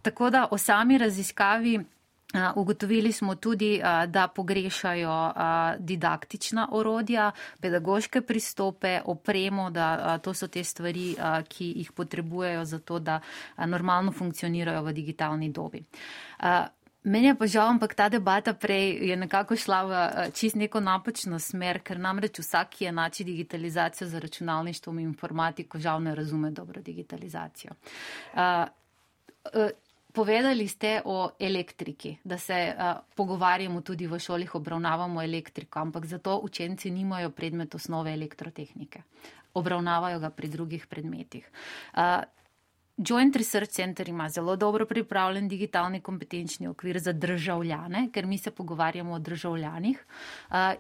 Tako da o sami raziskavi ugotovili smo tudi, da pogrešajo didaktična orodja, pedagoške pristope, opremo, da to so te stvari, ki jih potrebujejo za to, da normalno funkcionirajo v digitalni dobi. Meni je pa žal, ampak ta debata prej je nekako šla v čist neko napačno smer, ker namreč vsak, ki enači digitalizacijo za računalništvo in informatiko, žal ne razume dobro digitalizacijo. Uh, uh, povedali ste o elektriki, da se uh, pogovarjamo tudi v šolih, obravnavamo elektriko, ampak zato učenci nimajo predmet osnove elektrotehnike. Obravnavajo ga pri drugih predmetih. Uh, Joint Research Center ima zelo dobro pripravljen digitalni kompetenčni okvir za državljane, ker mi se pogovarjamo o državljanih.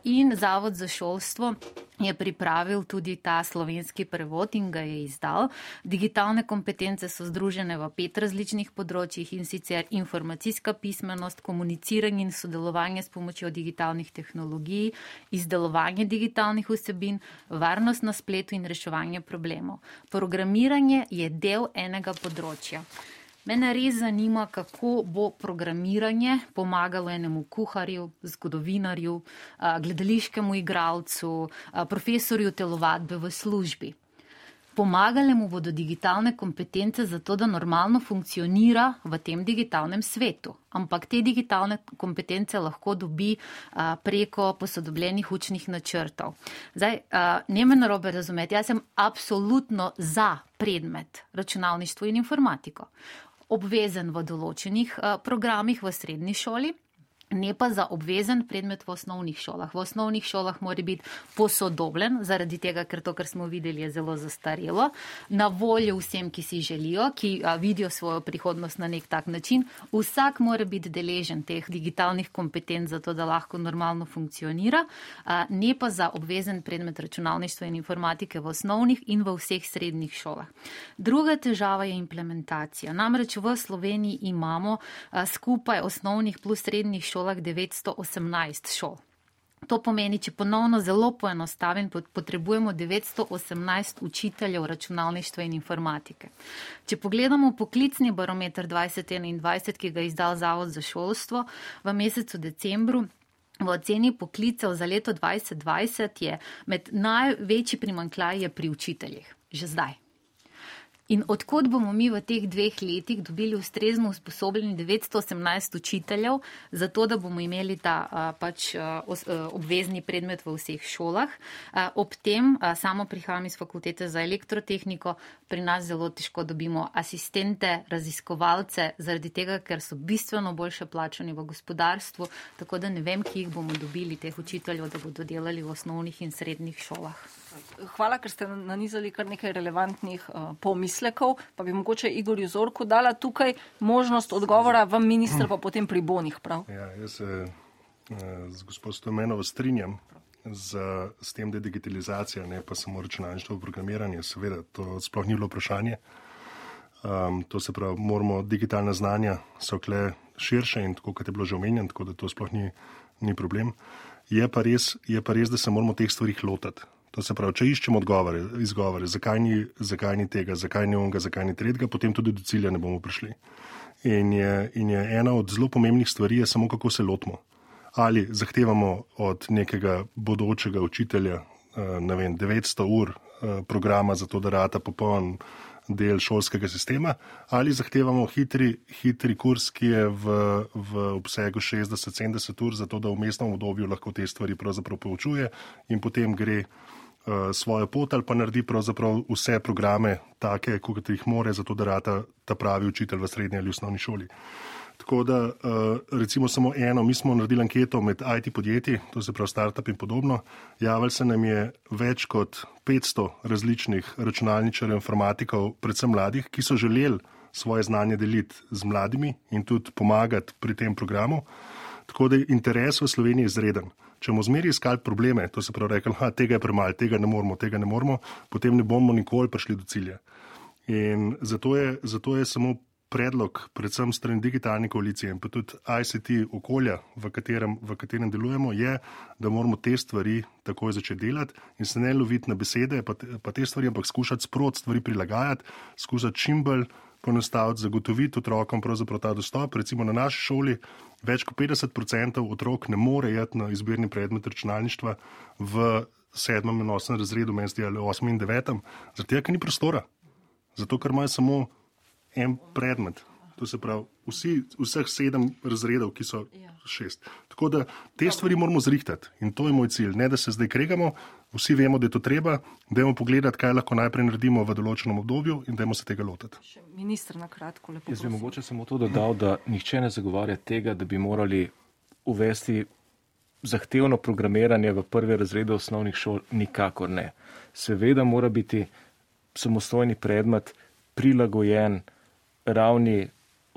In Zavod za šolstvo je pripravil tudi ta slovenski prevod in ga je izdal. Digitalne kompetence so združene v pet različnih področjih, in sicer informacijska pismenost, komuniciranje in sodelovanje s pomočjo digitalnih tehnologij, izdelovanje digitalnih vsebin, varnost na spletu in reševanje problemov. Programiranje je del enega področja. Mene res zanima, kako bo programiranje pomagalo enemu kuharju, zgodovinarju, gledališkemu igralcu, profesorju telovadbe v službi. Pomagale mu bodo digitalne kompetence za to, da normalno funkcionira v tem digitalnem svetu. Ampak te digitalne kompetence lahko dobi a, preko posodobljenih učnih načrtov. Zdaj, a, ne me narobe razumeti, jaz sem absolutno za predmet računalništvo in informatiko. Obvezen v določenih a, programih v srednji šoli, ne pa za obvezen predmet v osnovnih šolah. V osnovnih šolah mora biti posodobljen, zaradi tega, ker to, kar smo videli, je zelo zastarelo, na voljo vsem, ki si želijo, ki a, vidijo svojo prihodnost na nek tak način. Vsak mora biti deležen teh digitalnih kompetenc za to, da lahko normalno funkcionira, a, ne pa za obvezen predmet računalništva in informatike v osnovnih in v vseh srednjih šolah. Druga težava je implementacija. Namreč v Sloveniji imamo a, skupaj osnovnih plus srednjih šolah šolah devetsto osemnajst šol. To pomeni, če ponovno zelo poenostavim, potrebujemo devetsto osemnajst učiteljev računalništva in informatike. Če pogledamo poklicni barometer dvajset enaindvajset, ki ga je izdal Zavod za šolstvo v mesecu decembru, v oceni poklicev za leto dvajset dvajset je med največji primanjkljaj je pri učiteljih. Že zdaj. In odkot bomo mi v teh dveh letih dobili ustrezno usposobljeni devetsto osemnajst učiteljev, zato da bomo imeli ta a, pač a, os, a, obvezni predmet v vseh šolah. A, ob tem, a, samo prihajam iz fakultete za elektrotehniko, pri nas zelo težko dobimo asistente, raziskovalce, zaradi tega, ker so bistveno boljše plačani v gospodarstvu, tako da ne vem, ki jih bomo dobili teh učiteljev, da bodo delali v osnovnih in srednjih šolah. Hvala, ker ste nanizali kar nekaj relevantnih uh, pomislekov, pa bi mogoče Igorju Zorku dala tukaj možnost odgovora, vam minister pa potem pri bonih, prav? Ja, jaz se uh, z gospod Stojmenovo strinjam z, s tem, da je digitalizacija, ne pa samo računalništvo, programiranje, seveda, to sploh ni bilo vprašanje. Um, to se pravi, moramo, digitalna znanja so kle širše in tako, kot je bilo že omenjeno, tako da to sploh ni, ni problem. Je pa res, je pa res, da se moramo teh stvarih lotati. To se pravi, če iščemo odgovore, izgovore, zakaj ni, zakaj ni tega, zakaj ni onega, zakaj ni tretjega, potem tudi do cilja ne bomo prišli. In je, in je ena od zelo pomembnih stvari je samo, kako se lotimo. Ali zahtevamo od nekega bodočega učitelja, ne vem, devetsto ur programa za to, da rata popoln, del šolskega sistema, ali zahtevamo hitri, hitri kurs, ki je v, v obsegu šestdeset do sedemdeset ur, zato da v mestnem obdobju lahko te stvari pravzaprav poučuje in potem gre uh, svojo pot ali pa naredi pravzaprav vse programe take, kot jih more, zato da rata ta pravi učitelj v srednji ali osnovni šoli. Tako da, recimo samo eno, mi smo naredili anketo med I T podjetji, to se pravi startup in podobno, javili se nam je več kot petsto različnih računalničarjev, informatikov, predvsem mladih, ki so želeli svoje znanje deliti z mladimi in tudi pomagati pri tem programu. Tako da je interes v Sloveniji izreden. Če bomo zmeri iskali probleme, to se pravi rekli, ha, tega je premalo, tega ne moramo, tega ne moramo, potem ne bomo nikoli prišli do cilja. In zato je, zato je samo predlog, predvsem strani digitalne koalicije in pa tudi I C T okolja, v katerem, v katerem delujemo, je, da moramo te stvari takoj začeti delati in se ne loviti na besede, pa te, pa te stvari, ampak skušati sprot stvari prilagajati, skušati čim bolj ponostaviti, zagotoviti otrokom pravzaprav ta dostop. Recimo na naši šoli več kot petdeset procentov otrok ne more jeti na izbirni predmet računalništva v sedmem in osmem razredu, meni zdi, ali osmem in devetem, zato tega, ker ni prostora. Zato, ker imajo samo en predmet. To se pravi, vsi, vseh sedem razredov, ki so šest. Tako da te stvari moramo zrihtati in to je moj cilj. Ne, da se zdaj kregamo, vsi vemo, da je to treba, dajmo pogledati, kaj lahko najprej naredimo v določenem obdobju in dajmo se tega lotiti. Še minister na kratko, lepo. Jaz bi mogoče samo to dodal, da nihče ne zagovarja tega, da bi morali uvesti zahtevno programiranje v prvi razredu osnovnih šol, nikakor ne. Seveda mora biti samostojni predmet prilagojen ravni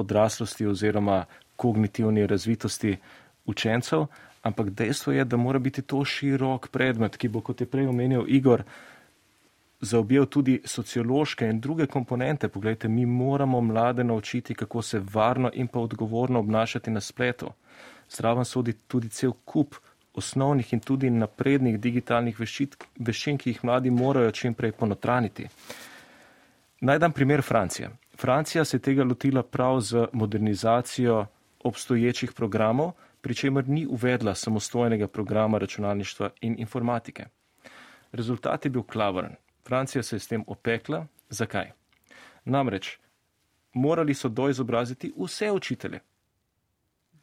odraslosti oziroma kognitivni razvitosti učencev, ampak dejstvo je, da mora biti to širok predmet, ki bo, kot je prej omenil Igor, zaobjel tudi sociološke in druge komponente. Poglejte, mi moramo mlade naučiti, kako se varno in pa odgovorno obnašati na spletu. Zraven sodi tudi cel kup osnovnih in tudi naprednih digitalnih veščin, ki jih mladi morajo čim prej ponotraniti. Naj dam primer Francije. Francija se je tega lotila prav z modernizacijo obstoječih programov, pri čemer ni uvedla samostojnega programa računalništva in informatike. Rezultat je bil klavrn. Francija se je s tem opekla. Zakaj? Namreč, morali so doizobraziti vse učitelje.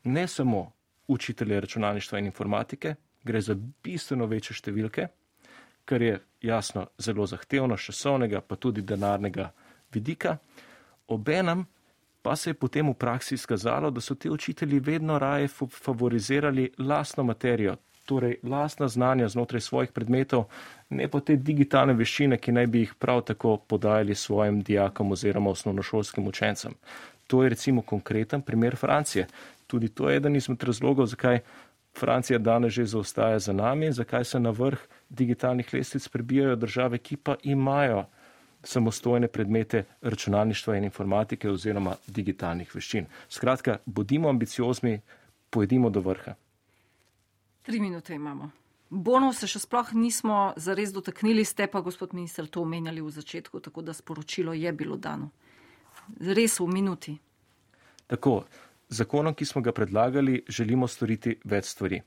Ne samo učitelje računalništva in informatike, gre za bistveno večje številke, kar je jasno zelo zahtevno, časovnega pa tudi denarnega vidika. Obenem pa se je potem v praksi izkazalo, da so ti učitelji vedno raje favorizirali lastno materijo, torej lastna znanja znotraj svojih predmetov, ne pa te digitalne veščine, ki naj bi jih prav tako podajali svojim dijakom oziroma osnovnošolskim učencem. To je recimo konkreten primer Francije. Tudi to je eden izmed razlogov, zakaj Francija danes že zaostaja za nami, zakaj se na vrh digitalnih lestvic prebijajo države, ki pa imajo samostojne predmete računalništva in informatike oziroma digitalnih veščin. Skratka, bodimo ambiciozni, pojedimo do vrha. Tri minute imamo. Bonov se še sploh nismo zares dotaknili, ste pa, gospod minister, to omenjali v začetku, tako da sporočilo je bilo dano. Res v minuti. Tako, zakonom, ki smo ga predlagali, želimo storiti več stvari.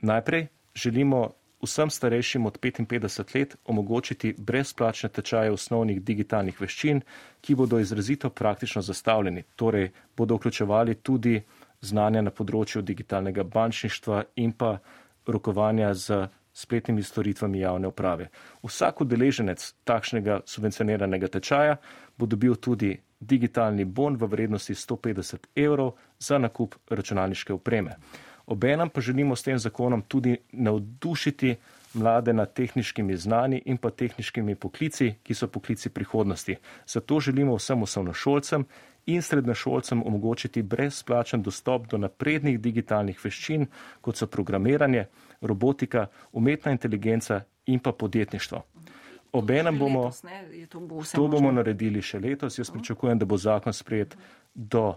Najprej želimo vsem starejšim od petinpetdeset let omogočiti brezplačne tečaje osnovnih digitalnih veščin, ki bodo izrazito praktično zastavljeni, torej bodo vključevali tudi znanja na področju digitalnega bančništva in pa rokovanja z spletnimi storitvami javne uprave. Vsak udeleženec takšnega subvencioniranega tečaja bo dobil tudi digitalni bon v vrednosti sto petdeset evrov za nakup računalniške opreme. Obenem pa želimo s tem zakonom tudi navdušiti mlade nad tehniškimi znanji in pa tehniškimi poklici, ki so poklici prihodnosti. Zato želimo vsem osnovnošolcem in srednješolcem omogočiti brezplačen dostop do naprednih digitalnih veščin, kot so programiranje, robotika, umetna inteligenca in pa podjetništvo. Obenem bomo, letos, ne, to, bo to bomo naredili še letos. Jaz pričakujem, da bo zakon sprejet do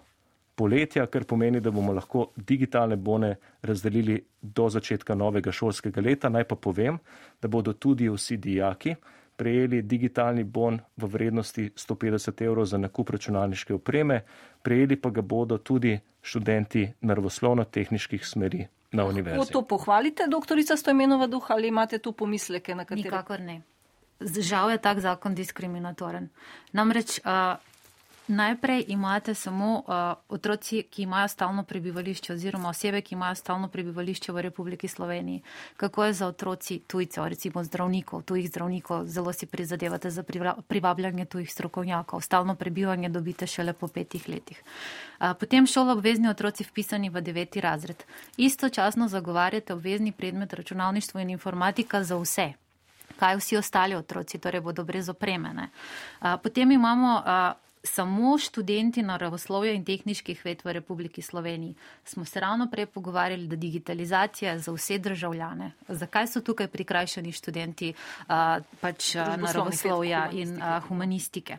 poletja, kar pomeni, da bomo lahko digitalne bone razdelili do začetka novega šolskega leta. Naj pa povem, da bodo tudi vsi dijaki prejeli digitalni bon v vrednosti sto petdeset evrov za nakup računalniške opreme, prejeli pa ga bodo tudi študenti naravoslovno-tehniških smeri na univerzi. Lahko to pohvalite, doktorica Stojmenova Duh, ali imate tu pomisleke, na katere? Nikakor ne. žal je tak zakon diskriminatoren. Namreč uh, najprej imate samo uh, otroci, ki imajo stalno prebivališče oziroma osebe, ki imajo stalno prebivališče v Republiki Sloveniji. Kako je za otroci tujcev, recimo zdravnikov, tujih zdravnikov, zelo si prizadevate za privabljanje tujih strokovnjakov. Stalno prebivanje dobite šele po petih letih. Uh, potem šolo obvezni otroci vpisani v deveti razred. Istočasno zagovarjate obvezni predmet računalništvo in informatika za vse. Kaj vsi ostali otroci, torej bodo brez opreme. Uh, potem imamo uh, samo študenti naravoslovja in tehniških ved v Republiki Sloveniji. Smo se ravno prej pogovarjali, da digitalizacija je za vse državljane. Zakaj so tukaj prikrajšani študenti uh, pač naravoslovja in uh, humanistike?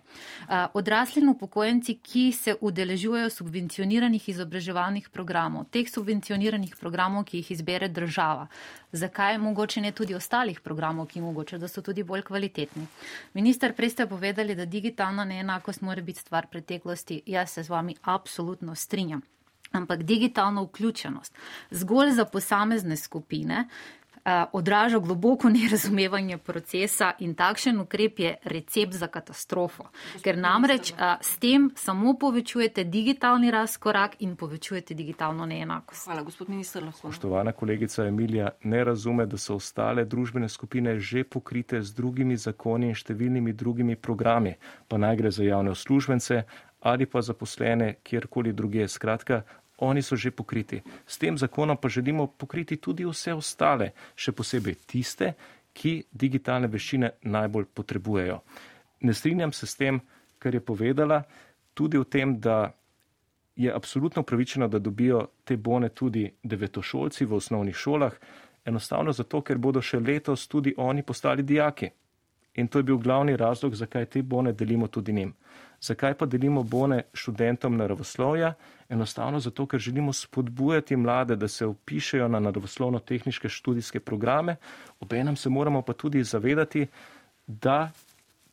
Uh, odrasli in upokojenci, ki se udeležujejo subvencioniranih izobraževalnih programov, teh subvencioniranih programov, ki jih izbere država. Zakaj mogoče ne tudi ostalih programov, ki mogoče, da so tudi bolj kvalitetni? Minister, prej ste povedali, da digitalna neenakost mora biti stvar preteklosti. Jaz se z vami absolutno strinjam. Ampak digitalna vključenost zgolj za posamezne skupine odraža globoko nerazumevanje procesa in takšen ukrep je recept za katastrofo. Ker namreč s tem samo povečujete digitalni razkorak in povečujete digitalno neenakost. Hvala, gospod minister. Spoštovana kolegica Emilija ne razume, da so ostale družbene skupine že pokrite z drugimi zakoni in številnimi drugimi programi, pa naj gre za javne uslužbence ali pa zaposlene kjerkoli druge. Skratka, oni so že pokriti. S tem zakonom pa želimo pokriti tudi vse ostale, še posebej tiste, ki digitalne veščine najbolj potrebujejo. Ne strinjam se s tem, kar je povedala, tudi v tem, da je absolutno upravičeno, da dobijo te bone tudi devetošolci v osnovnih šolah, enostavno zato, ker bodo še letos tudi oni postali dijaki. In to je bil glavni razlog, zakaj te bone delimo tudi njim. Zakaj pa delimo bone študentom naravoslovja? Enostavno zato, ker želimo spodbujati mlade, da se vpišejo na naravoslovno-tehniške študijske programe. Obenem se moramo pa tudi zavedati, da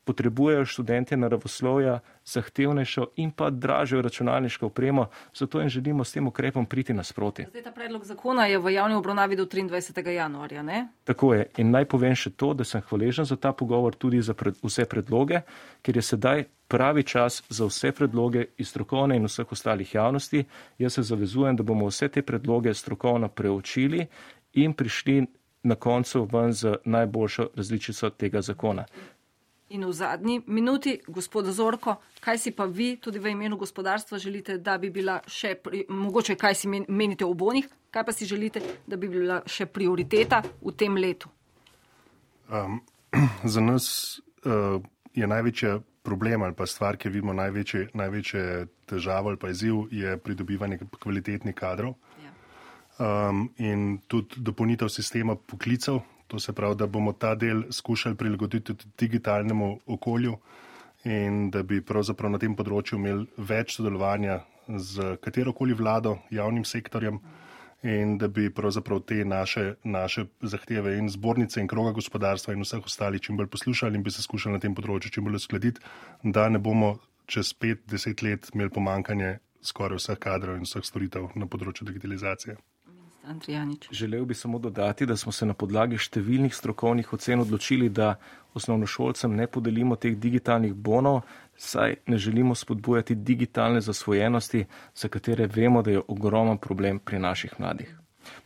potrebujejo študente naravoslovja zahtevnejšo in pa dražjo računalniško opremo, zato jim želimo s tem ukrepom priti nasproti. Zdaj ta predlog zakona je v javni obravnavi do triindvajsetega januarja, ne? Tako je. In naj povem še to, da sem hvaležen za ta pogovor tudi za pred, vse predloge, ker je sedaj pravi čas za vse predloge iz strokovne in vseh ostalih javnosti. Jaz se zavezujem, da bomo vse te predloge strokovno preučili in prišli na koncu ven z najboljšo različico tega zakona. In v zadnji minuti, gospod Zorko, kaj si pa vi tudi v imenu gospodarstva želite, da bi bila še, pri, mogoče kaj si menite o bonih, kaj pa si želite, da bi bila še prioriteta v tem letu? Um, za nas uh, je največja problem ali pa stvar, ki vidimo največje, največje težavo ali pa izziv, je pridobivanje kvalitetnih kadrov. Ja. Um, in tudi dopolnitev sistema poklicev. To se pravi, da bomo ta del skušali prilagoditi digitalnemu okolju in da bi pravzaprav na tem področju imeli več sodelovanja z katerokoli vlado, javnim sektorjem in da bi pravzaprav te naše, naše zahteve in zbornice in kroga gospodarstva in vseh ostalih čim bolj poslušali in bi se skušali na tem področju čim bolj uskladiti, da ne bomo čez pet, deset let imeli pomankanje skoraj vseh kadrov in vseh storitev na področju digitalizacije. Andrijanič. Želel bi samo dodati, da smo se na podlagi številnih strokovnih ocen odločili, da osnovnošolcem ne podelimo teh digitalnih bonov, saj ne želimo spodbujati digitalne zasvojenosti, za katere vemo, da je ogromen problem pri naših mladih.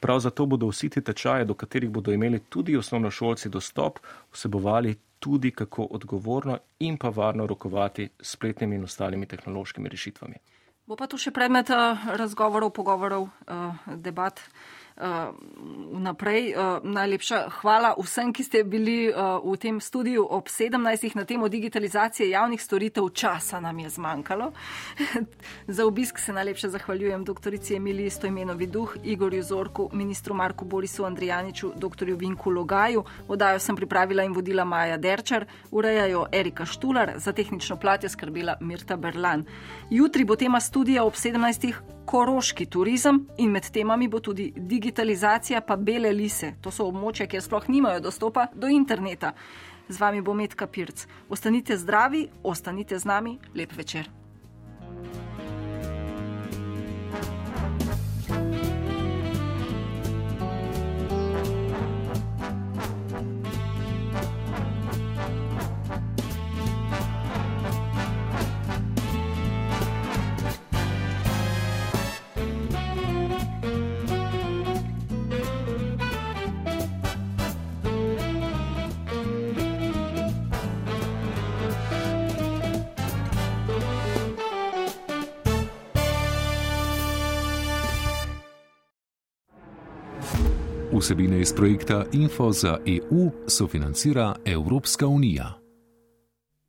Prav zato bodo vsi ti tečaji, do katerih bodo imeli tudi osnovnošolci dostop, vsebovali tudi, kako odgovorno in pa varno rokovati s spletnimi in ostalimi tehnološkimi rešitvami. Bo pa tu še predmet uh, razgovorov, pogovorov, uh, debat uh, vnaprej. Uh, najlepša hvala vsem, ki ste bili uh, v tem studiu ob sedemnajstih na temo digitalizacije javnih storitev. Časa nam je zmanjkalo. Za obisk se najlepše zahvaljujem doktorici Emiliji Stojmenovi Duh, Igorju Zorku, ministru Marku Borisu Andrijaniču, doktorju Vinku Logaju. Oddajo sem pripravila in vodila Maja Derčar, urejajo Erika Štular, za tehnično plat je skrbela Mirta Berlan. Jutri bo tema studija ob sedemnajstih koroški turizem in med temami bo tudi digitalizacija pa bele lise. To so območja, kjer sploh nimajo dostopa do interneta. Z vami bo Metka Pirc. Ostanite zdravi, ostanite z nami. Lep večer. Vsebine iz projekta Info za E U sofinancira Evropska unija.